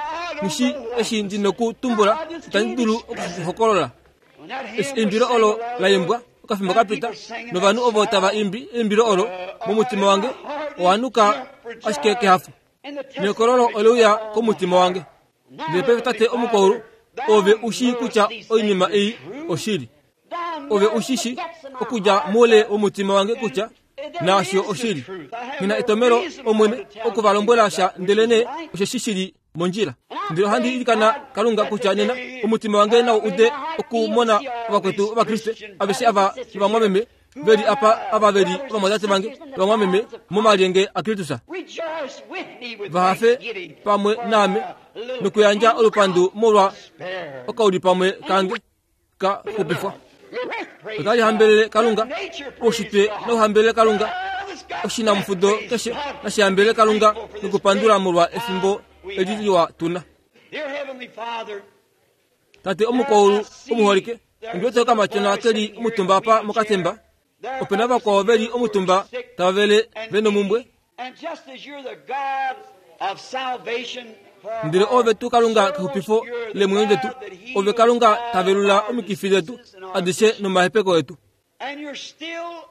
Nghi eshi ndi nokutumbula, itandi dulu okuhokolola. Eshi eimbilo olo la imbwa okafimbo kapita, novanhu ovo tava imbi eimbilo olo momutima wange owa nuka ashike kehafo. Nekololo ole uya komutima wange. Ndele paife tate omukwaulu, ove u shii kutya oinima ei oshili. Ove u shi shi okudja moule womutima wange kutya naasho oshili. Nghi na etomhelo Omwene oku va lombwela sha ndelenee osheshi shili mondjila. Ndele ohandi ilikana Kalunga kutya nena omutima wange nau ude okumona ovakwetu Ovakriste aveshe ava novamwameme veli apa ava veli ovamwatate vange novamwameme momalyenge aKristus. Vahafe pamwe naame nokuyandja olupandu molwa okaulipamwe kange ka xupifwa. Otali hambelele Kalunga, oushitwe nauhambelele Kalunga, oshinamufudo keshe nashi hambelele Kalunga nokupandula molwa efimbo eli liwa tuna. Tate omukwaulu omuholike, ondi wete okamatyona keli omutumba apa mokatemba. Opena vakwao veli omutumba tava vele venomumbwe. Ndele ove tuu Kalunga kexupifo leemwenyo detu, ove Kalunga ta velula omikifi detu adishe nomahepeko etu.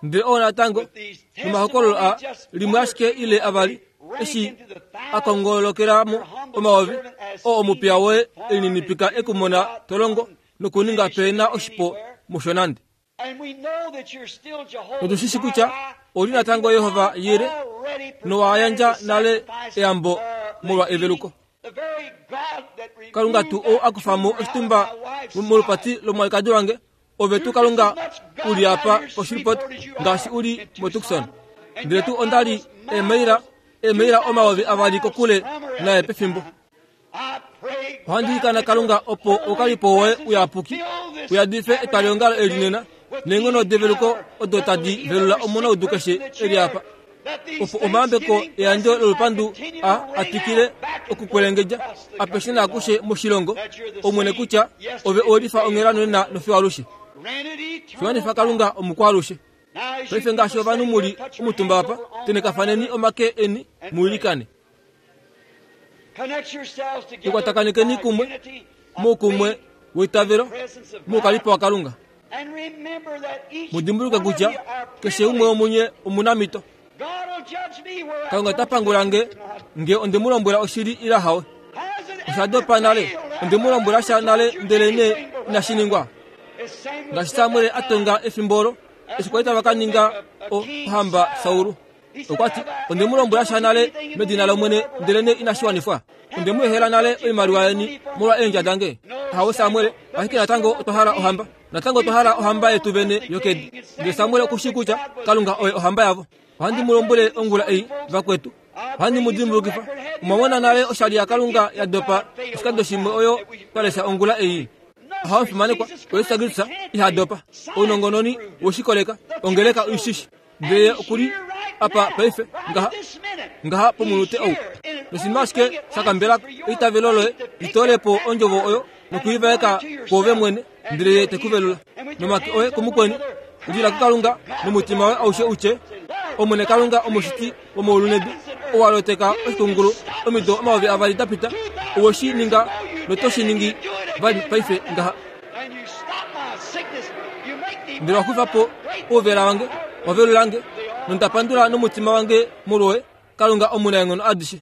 Ndele oo natango nomahokololo a limwe ashike ile avali eshi a kongolokelamo omayovi oo omupiya woye elininipika ekumona tolongo nokuninga pena oshipo musho nande. Otu shi shi kutya oli natango Yehova Yire nowa yandja nale eyambo molwa eveluko. Kalunga tuu ou a kufa mo oshitumba molupati lomwalikadi wange, ove tuu Kalunga uli apa koShreveport ngaashi uli moTucson. Ndele tuu onda li eemaila eemaila omayovi avali kokule naye pefimbo. Ohandi ilikana Kalunga opo oukalipo woye uyapuki uyadife etwaliongalo eli nena neenghono develuko odo tadi velula omunaudu keshe eli apa, opo omayambeko eyandjo lolupandu a atwikile okukwelengedja apeshe naakushe moshilongo, Omwene kutya ove owelifa onghela nonena nofiyo alushe. Shiwanifa Kalunga omukwaalushe. Paife ngaashi ovanhu muli omutumba apa, tenekafaneni omake eni muilikane. Likwatakanekeni kumwe moukumwe weitavelo moukalipo waKalunga. Mudimbuluke kutya keshe umwe womunye omunamito. Kalunga ota pangula nge nge onde mu lombwela oshili ila hawe. Osha dopa nale, onde mu lombwela sha nale ndelenee inashi ningwa. Ngaashi Samuel a tonga efimbo olo eshi kwali tava ka ninga ohamba Saul. Okwa ti, onde mu lombwela sha nale medina lOmwene ndelenee inashi wanifwa. Onde mu ehela nale oimaliwa yeni molwa eendja dange. Ahawe Samuel, ashike natango otwa hala ohamba. Natango otwa hala ohamba yetu vene yokedi. Ndele Samuel oku shii kutya Kalunga oye ohamba yavo. Ohandi mu lombwele ongula ei, vakwetu. Ohandi mu dimbulukifa. Omwa mona nale oshali yaKalunga ya dopa oshikando shimwe oyo twa lesha ongula ei. Ahawe omufimanekwa, oYesus Kristus iha dopa. Ounongononi weshikoleka, ongeleka oishishi. Ndele okuli apa paife ngaha ngaha pomunute ou. Noshinima ashike shakambela eitavelo loye litoole po ondjovo oyo nokuivaeka kwoove mwene, ndele ye te ku velula. Nomake oye kumukweni, lila kuKalunga nomutima woye aushe utye, Omwene Kalunga omushiti womaulu nedu, ou a loteka oshikungulu omido omayovi avali da pita, owe shi ninga noto shi ningi vali paife ngaha. Ndele wa kufa po ouvela wange, wa velula nge, nonda pandula nomutima wange molwoye, Kalunga omunaenghono adishe.